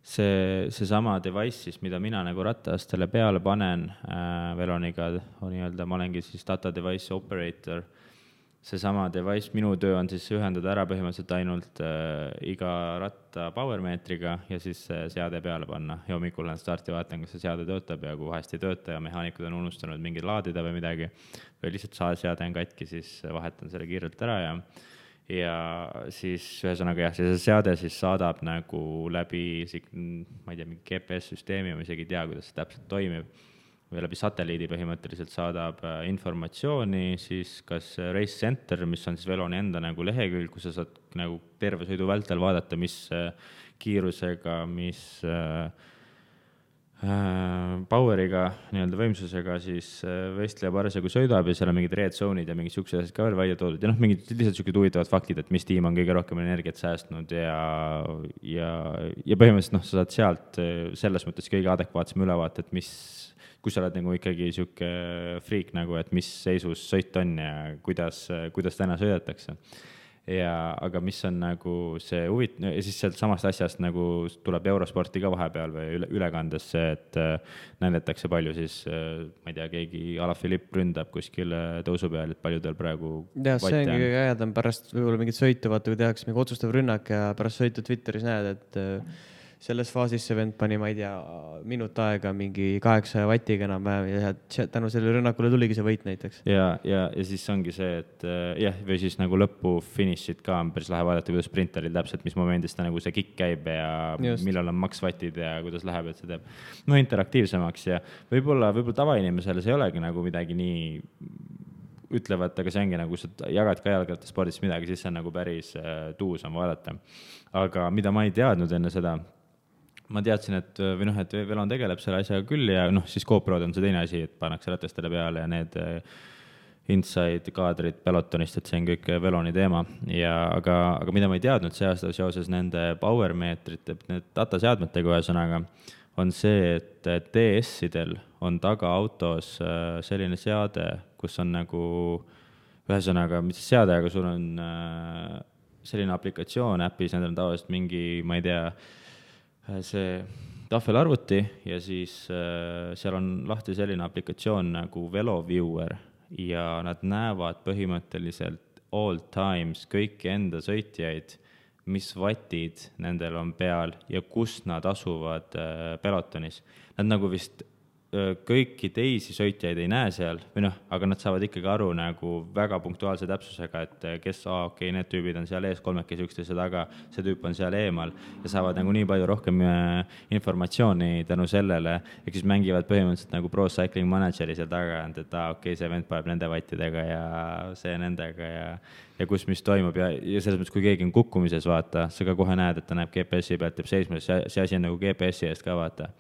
see sama device siis, mida mina nagu rattaastele peale panen Veloniga, ma olengi siis data device operator. See sama device, minu töö on siis ühendada ära põhimõtteliselt ainult iga ratta powermeetriga ja siis seade peale panna. Ja hommikul lähen starti vaatan, kas see seade töötab ja kui vahest ei tööta ja mehaanikud on unustanud mingi laadida või midagi või lihtsalt seade on katki, siis vahetan selle kiirelt ära ja siis ühesõnaga jah, see seade siis saadab nagu läbi, ma ei tea, mingi GPS-süsteemi, ma isegi ei tea, kuidas see täpselt toimib. Või läbi satelliidi põhimõtteliselt saadab informatsiooni, siis kas Race Center, mis on siis Veloni enda nagu lehekülg, kus sa saad nagu terve sõidu vältel vaadata, mis kiirusega, mis poweriga, nii-öelda võimsusega siis võistleja parasjagu sõidab ja seal on mingid red zone'id ja mingid siuksed asjad ka veel välja toodud ja mingid lihtsalt siuksed huvitavad faktid, et mis tiim on kõige rohkem energiat säästnud ja põhimõtteliselt sa saad sealt selles mõttes kõige adekvaatsem ülevaate, et kui sa oled nagu ikkagi siuke freak nagu, et mis seisus sõit on ja kuidas täna sõidetakse. Aga mis on nagu see ja siis sealt samast asjast nagu tuleb Eurosporti ka vahepeal või ülekandes see, et näidatakse palju siis, ma ei tea, keegi Alaphilippe ründab kuskil tõusu peal, et palju tal praegu see ongi kõige ägedam pärast võib-olla mingit sõitu, vaata kui tehakse mingi otsustav rünnak ja pärast sõitu Twitteris näed, et selles faasis see vend pani, ma ei tea, minut aega mingi 800 vatiga enam-vähem ja tänu selle rünnakule tuligi see võit näiteks. Ja siis ongi see, et või siis nagu lõppu finišid ka on päris lahe vaadata, kuidas sprinteril täpselt, mis momendis ta nagu see kick käib ja millal on max vatid ja kuidas läheb, et see teeb interaktiivsemaks ja võib-olla tavainimesele see ei olegi nagu midagi nii ütlevad, aga see ongi nagu, sa jagad ka jalgrattaspordis midagi, siis see on nagu päris tuus on vaadata. Aga mida ma ei teadnud enne seda, ma teadsin, et Velon tegeleb selle asjaga küll ja siis GoPro'd on see teine asi, et pannakse ratastele peale ja need inside kaadrid pelotonist, et see on kõik Veloni teema. Aga mida ma ei teadnud see aasta seoses nende powermeetrite, need dataseadmetega ühesõnaga, on see, et DS-idel on taga autos selline seade, kus on nagu ühesõnaga, mis seade, aga sul on selline aplikatsioon äpis, nendel on tavaliselt mingi, ma ei tea, see tahvelarvuti ja siis seal on lahti selline aplikatsioon nagu VeloViewer ja nad näevad põhimõtteliselt all times kõiki enda sõitjaid, mis vatid nendel on peal ja kus nad asuvad pelotonis. Nad nagu vist kõiki teisi sõitjaid ei näe seal, aga nad saavad ikkagi aru nagu väga punktuaalse täpsusega, et kes, need tüübid on seal ees, kolmekesi üksteise taga, see tüüp on seal eemal ja saavad nagu nii palju rohkem informatsiooni tänu sellele, ehk siis mängivad põhimõtteliselt nagu Pro Cycling Manageri seal taga, et see vend paneb nende vattidega ja see nendega ja kus mis toimub ja selles mõttes, kui keegi on kukkumises, vaata, sa ka kohe näed, et ta näeb GPS-i pealt, teeb seisma, see asi on nagu GPS-i eest ka, vaata.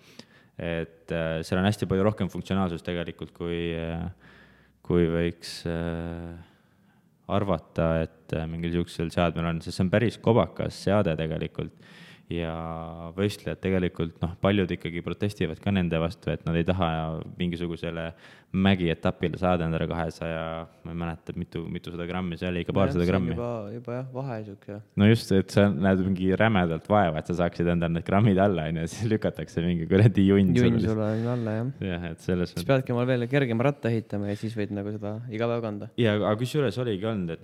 Et seal on hästi palju rohkem funktsionaalsust tegelikult, kui võiks arvata, et mingil siuksel seadmel on, sest see on päris kobakas seade tegelikult ja võistlejad tegelikult, paljud ikkagi protestivad ka nende vastu, et nad ei taha mingisugusele mägietapile saada endale 200, ma ei mäleta, mitusada grammi, see oli ikka paarsada grammi. Juba vahe siuke. No just, et sa näed mingi rämedalt vaeva, et sa saaksid endale need grammid alla, ja siis lükatakse mingi kuradi junn sulle alla, jah. Jah, et selles siis peadki mal veel kergema ratta ehitama ja siis võid nagu seda iga päev kanda. Ja, aga kusjuures oligi olnud, et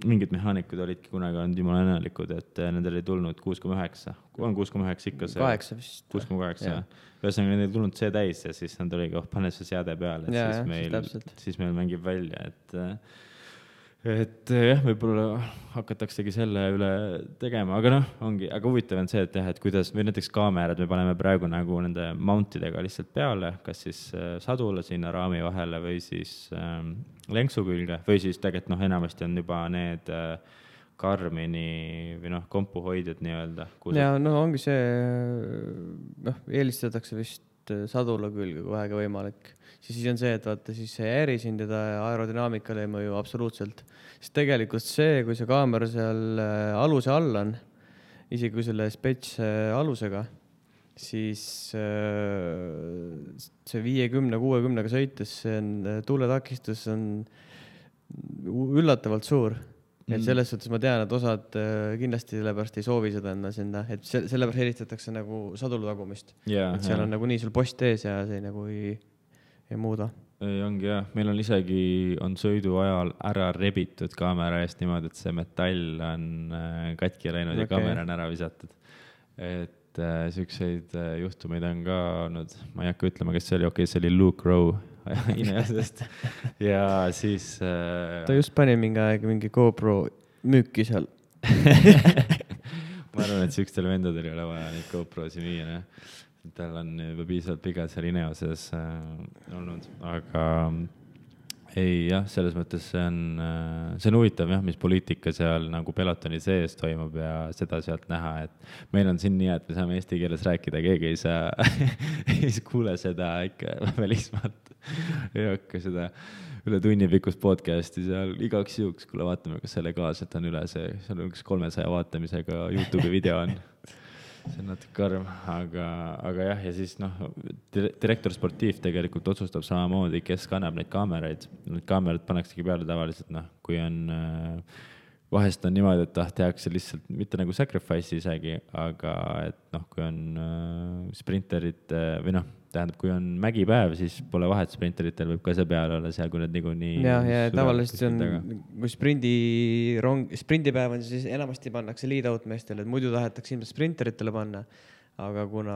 mingid mehaanikud olidki kunagi olnud jumala õnnelikud, et nendel ei tulnud 6,9. On 6,9 ikka see? 8 vist. 6,8. Ühesõnaga, nendel ei tulnud see täis ja siis nad oligi, pane see seade peale, et siis meil mängib välja, et jah, võib-olla hakataksegi selle üle tegema, aga noh, ongi, aga huvitav on see, et jah, et kuidas, või näiteks kaamerad me paneme praegu nagu nende mountidega lihtsalt peale, kas siis sadula sinna raami vahele või siis lenksu külge, või siis tegelikult noh, enamasti on juba need Karmini või noh, kompuhoidjad nii-öelda. Ja no ongi see, noh, eelistatakse vist sadula külge, kui vähegi võimalik. Siis on see, et vaata, siis see ei häiri sind ja ta aerodünaamikale ei mõju absoluutselt. Sest tegelikult see, kui see kaamera seal aluse all on, isegi kui selle spets alusega, siis see 50-60-ga sõites, see on, tuuletakistus on üllatavalt suur. Et selles suhtes ma tean, et osad kindlasti sellepärast ei soovi seda enda sinna, et sellepärast helistatakse nagu sadulu tagumist. Yeah, et seal on nagu nii sul post ees ja see nagu ei muuda. Ei ongi jah, meil on isegi on sõidu ajal ära rebitud kaamera eest niimoodi, et see metall on katki läinud ja kaamera on ära visatud. Et siukseid juhtumeid on ka olnud, ma ei hakka ütlema, kes see oli, see oli Luke Rowe inimesest ja siis ta just pani mingi aeg mingi GoPro müüki seal. Ma arvan, et siukstel vendadel ei ole vaja neid GoProsi müüa, tal on juba piisavalt pikalt seal Ineoses olnud, aga ei jah, selles mõttes see on huvitav jah, mis poliitika seal nagu pelotoni sees toimub ja seda sealt näha, et meil on siin nii, et me saame eesti keeles rääkida, keegi ei saa ei kuule seda ikka välismaalt. Ei hakka seda üle tunni pikkust podcasti seal igaks juhuks, kuule vaatame, kas see legaalselt on üle see on üks 300 vaatamisega YouTube'i video on. See on natuke karm, aga jah, ja siis noh, direktor sportiiv tegelikult otsustab samamoodi, kes kannab neid kaameraid. Need kaamerad pannaksegi peale tavaliselt, noh, kui on, vahest on niimoodi, et tehakse lihtsalt mitte nagu sacrifice isegi, aga et noh, kui on sprinterid või noh, tähendab, kui on mägipäev, siis pole vahet, sprinteritel võib ka see peale olla seal, kui need niikuinii... Ja tavaliselt on, kui sprindipäev on, siis enamasti pannakse lead-out meestele, et muidu tahetakse ilmselt sprinteritele panna, aga kuna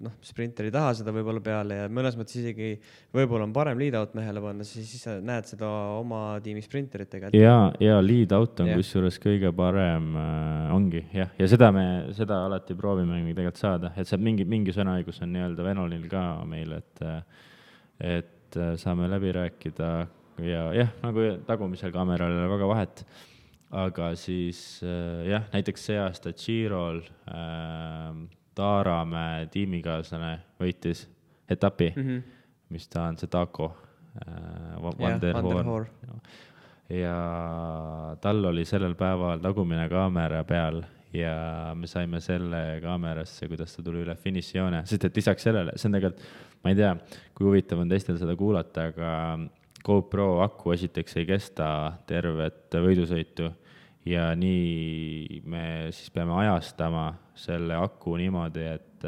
noh, sprinter ei taha seda võib-olla peale ja mõnes mõttes isegi võib-olla on parem lead-out mehele panna, siis sa näed seda oma tiimi sprinteritega. Ja lead-out on kusjuures kõige parem ongi, jah. Ja seda alati proovime tegelikult saada, et see mingi sõnaõigus on nii-öelda Venolil ka meil, et saame läbi rääkida ja jah, nagu tagumisel kaameral ei ole väga vahet. Aga siis jah, näiteks see aasta Girol Taaramäe tiimikaaslane võitis etapi, mis ta on see Taco Vanderhoor. Ja tal oli sellel päeval tagumine kaamera peal ja me saime selle kaamerasse, kuidas ta tuli üle finišijoone, sest et lisaks sellele, see on tegelikult, ma ei tea, kui huvitav on teistel seda kuulata, aga GoPro aku esiteks ei kesta tervet võidusõitu ja nii me siis peame ajastama selle aku niimoodi, et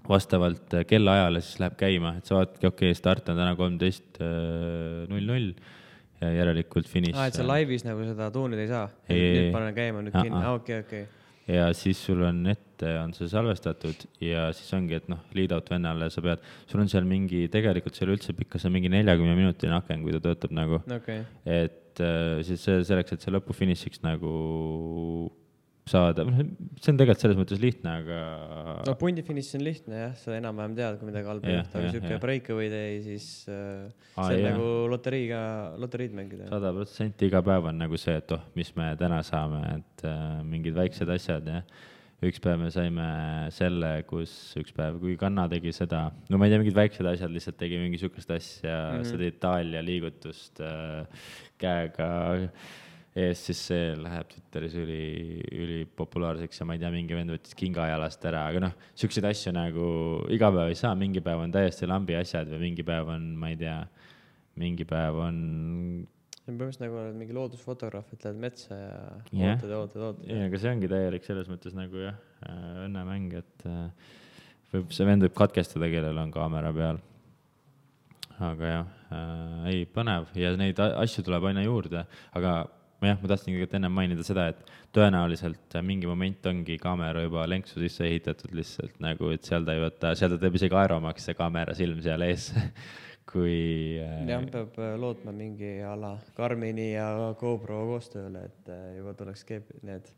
vastavalt kellaajale siis läheb käima, et sa vaatadki, okei, start on täna 13.00 ja järelikult finiš. Et sa laivis nagu seda tuunida ei saa? Nüüd panen käima, nüüd kinni. Okei. Ja siis sul on ette, on see salvestatud ja siis ongi, et noh, lead-out vennale sa pead, sul on seal mingi, tegelikult seal üldse pikka, see on mingi 40 minutine aken, kui ta töötab nagu. Et siis selleks, et see lõpufinišiks nagu saada, see on tegelikult selles mõttes lihtne, aga... No pundifiniš on lihtne, jah, sa enam-vähem tead, kui midagi halba juhta, aga siuke breakaway day, siis see on nagu loteriid mängida. 100% iga päev on nagu see, et mis me täna saame, et mingid väiksed asjad, jah. Üks päev me saime selle, üks päev, kui Kanna tegi seda, no ma ei tea, mingid väiksed asjad, lihtsalt tegi mingi sükest asja, seda Itaalia liigutust käega ees, siis see läheb Twitteris üli populaarseks ja ma ei tea, mingi vend võttis kingajalast ära, aga noh, sükseid asju nagu iga päev ei saa, mingi päev on täiesti lambi asjad või mingi päev on, ma ei tea, mingi päev on... See on põhimõtteliselt nagu oled mingi loodusfotograaf, et lähed metsa ja ootad. Ja, aga see ongi täielik selles mõttes nagu jah, õnnemäng, et see vend võib katkestada, kellel on kaamera peal. Aga jah, ei põnev ja neid asju tuleb aina juurde, aga ma tahtsin kõigepealt enne mainida seda, et tõenäoliselt mingi moment ongi kaamera juba lenksu sisse ehitatud lihtsalt nagu, et seal ta teeb isegi aeromaks see kaamera silm seal ees, kui jah, peab lootma mingi ala Garmini ja GoPro koostööle, et juba tuleks need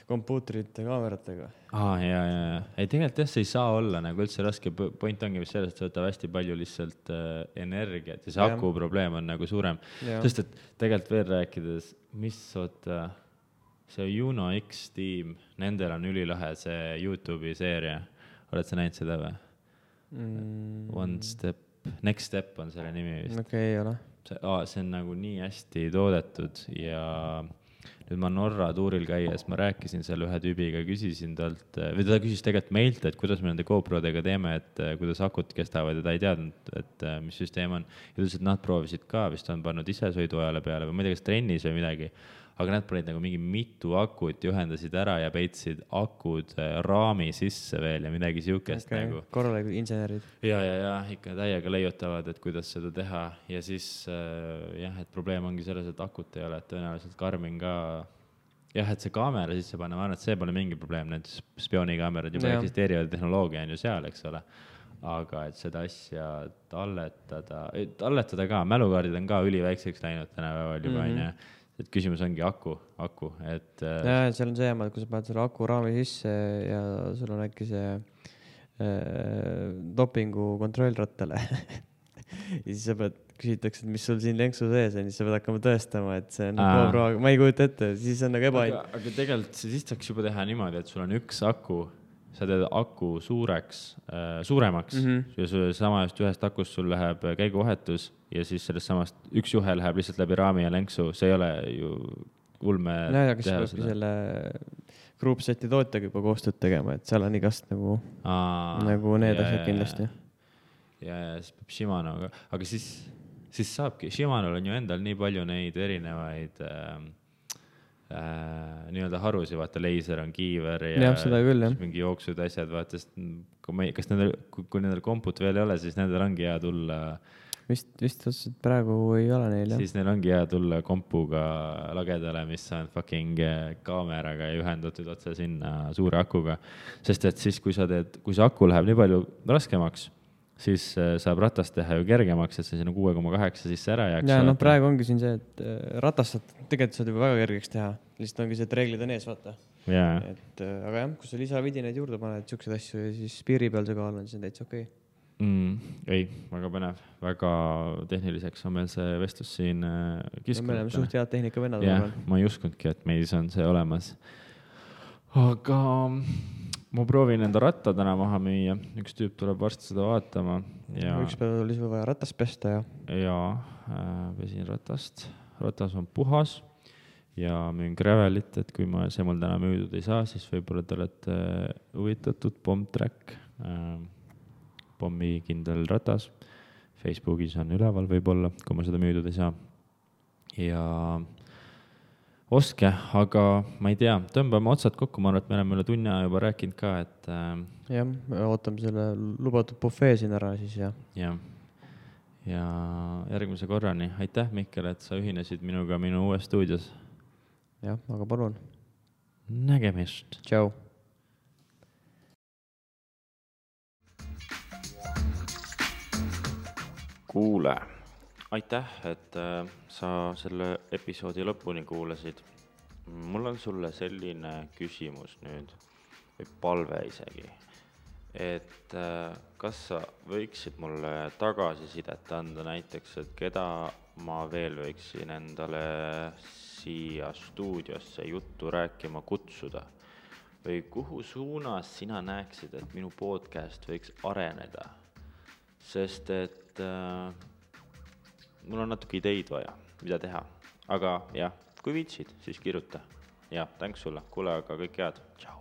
kompuutrite kaameratega. ja. Ei, tegelikult jah, see ei saa olla nagu üldse raske, point ongi vist selles, et see võtab hästi palju lihtsalt energiat ja see aku probleem on nagu suurem. Sest et tegelikult veel rääkides, mis see Uno X tiim, nendel on ülilahe see YouTube'i seeria. Oled sa näinud seda või? Next Step on selle nimi vist. Okei, ei ole. See on nagu nii hästi toodetud ja nüüd ma Norra tuuril käies, ma rääkisin seal ühe tüübiga, küsisin talt, või ta küsis tegelikult meilt, et kuidas me nende GoProdega teeme, et kuidas akut kestavad ja ta ei teadnud, et mis süsteem on. Ja ta ütles, et nad proovisid ka, vist on pannud ise sõiduajale peale või ma ei tea, kas trennis või midagi, aga nad panid nagu mingi mitu akut, ühendasid ära ja peitsid akud raami sisse veel ja midagi siukest nagu. Korralikud insenerid. Ja, ikka täiega leiutavad, et kuidas seda teha ja siis jah, et probleem ongi selles, et akut ei ole, et tõenäoliselt Garmin ka jah, et see kaamera sisse panna, ma arvan, et see pole mingi probleem, need spioonikamerad juba eksisteerivad, tehnoloogia on ju seal, eks ole. Aga et seda asja talletada ka, mälukaardid on ka üliväikseks läinud tänapäeval juba, on ju. Et küsimus ongi aku, et ja, seal on see jääma, et kui sa paned selle aku raami sisse ja sul on äkki see dopingu kontrollrattale ja siis sa küsitakse, et mis sul siin lenksu sees on, siis sa pead hakkama tõestama, et see on GoPro, ma ei kujuta ette, siis on nagu aga tegelikult siis saaks juba teha niimoodi, et sul on üks aku, sa teed aku suuremaks ja samast ühest akust sul läheb käiguvahetus ja siis sellest samast üks juhe läheb lihtsalt läbi raami ja lenksu, see ei ole ju ulme teha seda. Kas peabki selle groupseti tootjaga juba koostööd tegema, et seal on igast nagu need asjad kindlasti. Ja siis peab Shimanoga, aga siis saabki, Shimanol on ju endal nii palju neid erinevaid nii-öelda harusi, vaata, leiser on kiiver ja küll, mingi jooksud asjad, vaata, kas kui nendel komput veel ei ole, siis nendel ongi hea tulla vist otseselt praegu ei ole neil, siis neil ongi hea tulla kompuga lagedale, mis on fucking kaameraga ja ühendatud otse sinna suure akuga, sest et siis kui see aku läheb nii palju raskemaks, siis saab ratast teha ju kergemaks, et see sinna 6,8 sisse ära jääks. Ja praegu ongi siin see, et ratast tegelikult saad juba väga kergeks teha. Lihtsalt ongi see, et reeglid on ees, vaata. Et, aga jah, kui sa lisavidineid juurde paned siukseid asju ja siis piiri peal see kaal on, siis on täitsa okei. Ei, väga põnev, väga tehniliseks on meil see vestlus siin kiskunud. Me oleme suht head tehnika vennad. Ma ei uskunudki, et meis on see olemas. Aga ma proovin enda ratta täna maha müüa. Üks tüüp tuleb varsti seda vaatama. Üks päev oli sul vaja ratast pesta ja pesin ratast. Ratas on puhas ja müün gravelit, et kui see mul täna müüdud ei saa, siis võib-olla te olete huvitatud Bombtrack, pommi kindel ratas. Facebookis on üleval võib-olla, kui ma seda müüdud ei saa. Ja oske, aga ma ei tea, tõmbame otsad kokku, ma arvan, et me oleme üle tunni juba rääkinud ka, et jah, ootame selle lubatud bufee siin ära siis ja järgmise korrani. Aitäh, Mihkel, et sa ühinesid minuga minu uues stuudios. Jah, aga palun. Nägemist. Tšau. Kuule, aitäh, et sa selle episoodi lõpuni kuulasid. Mul on sulle selline küsimus nüüd, või palve isegi, et kas sa võiksid mulle tagasisidet anda näiteks, et keda ma veel võiksin endale siia stuudiosse juttu rääkima kutsuda või kuhu suunas sina näeksid, et minu podcast võiks areneda, sest et mul on natuke ideid vaja, mida teha, aga jah, kui viitsid, siis kirjuta ja tänks sulle, kuule, aga kõik head, tšau.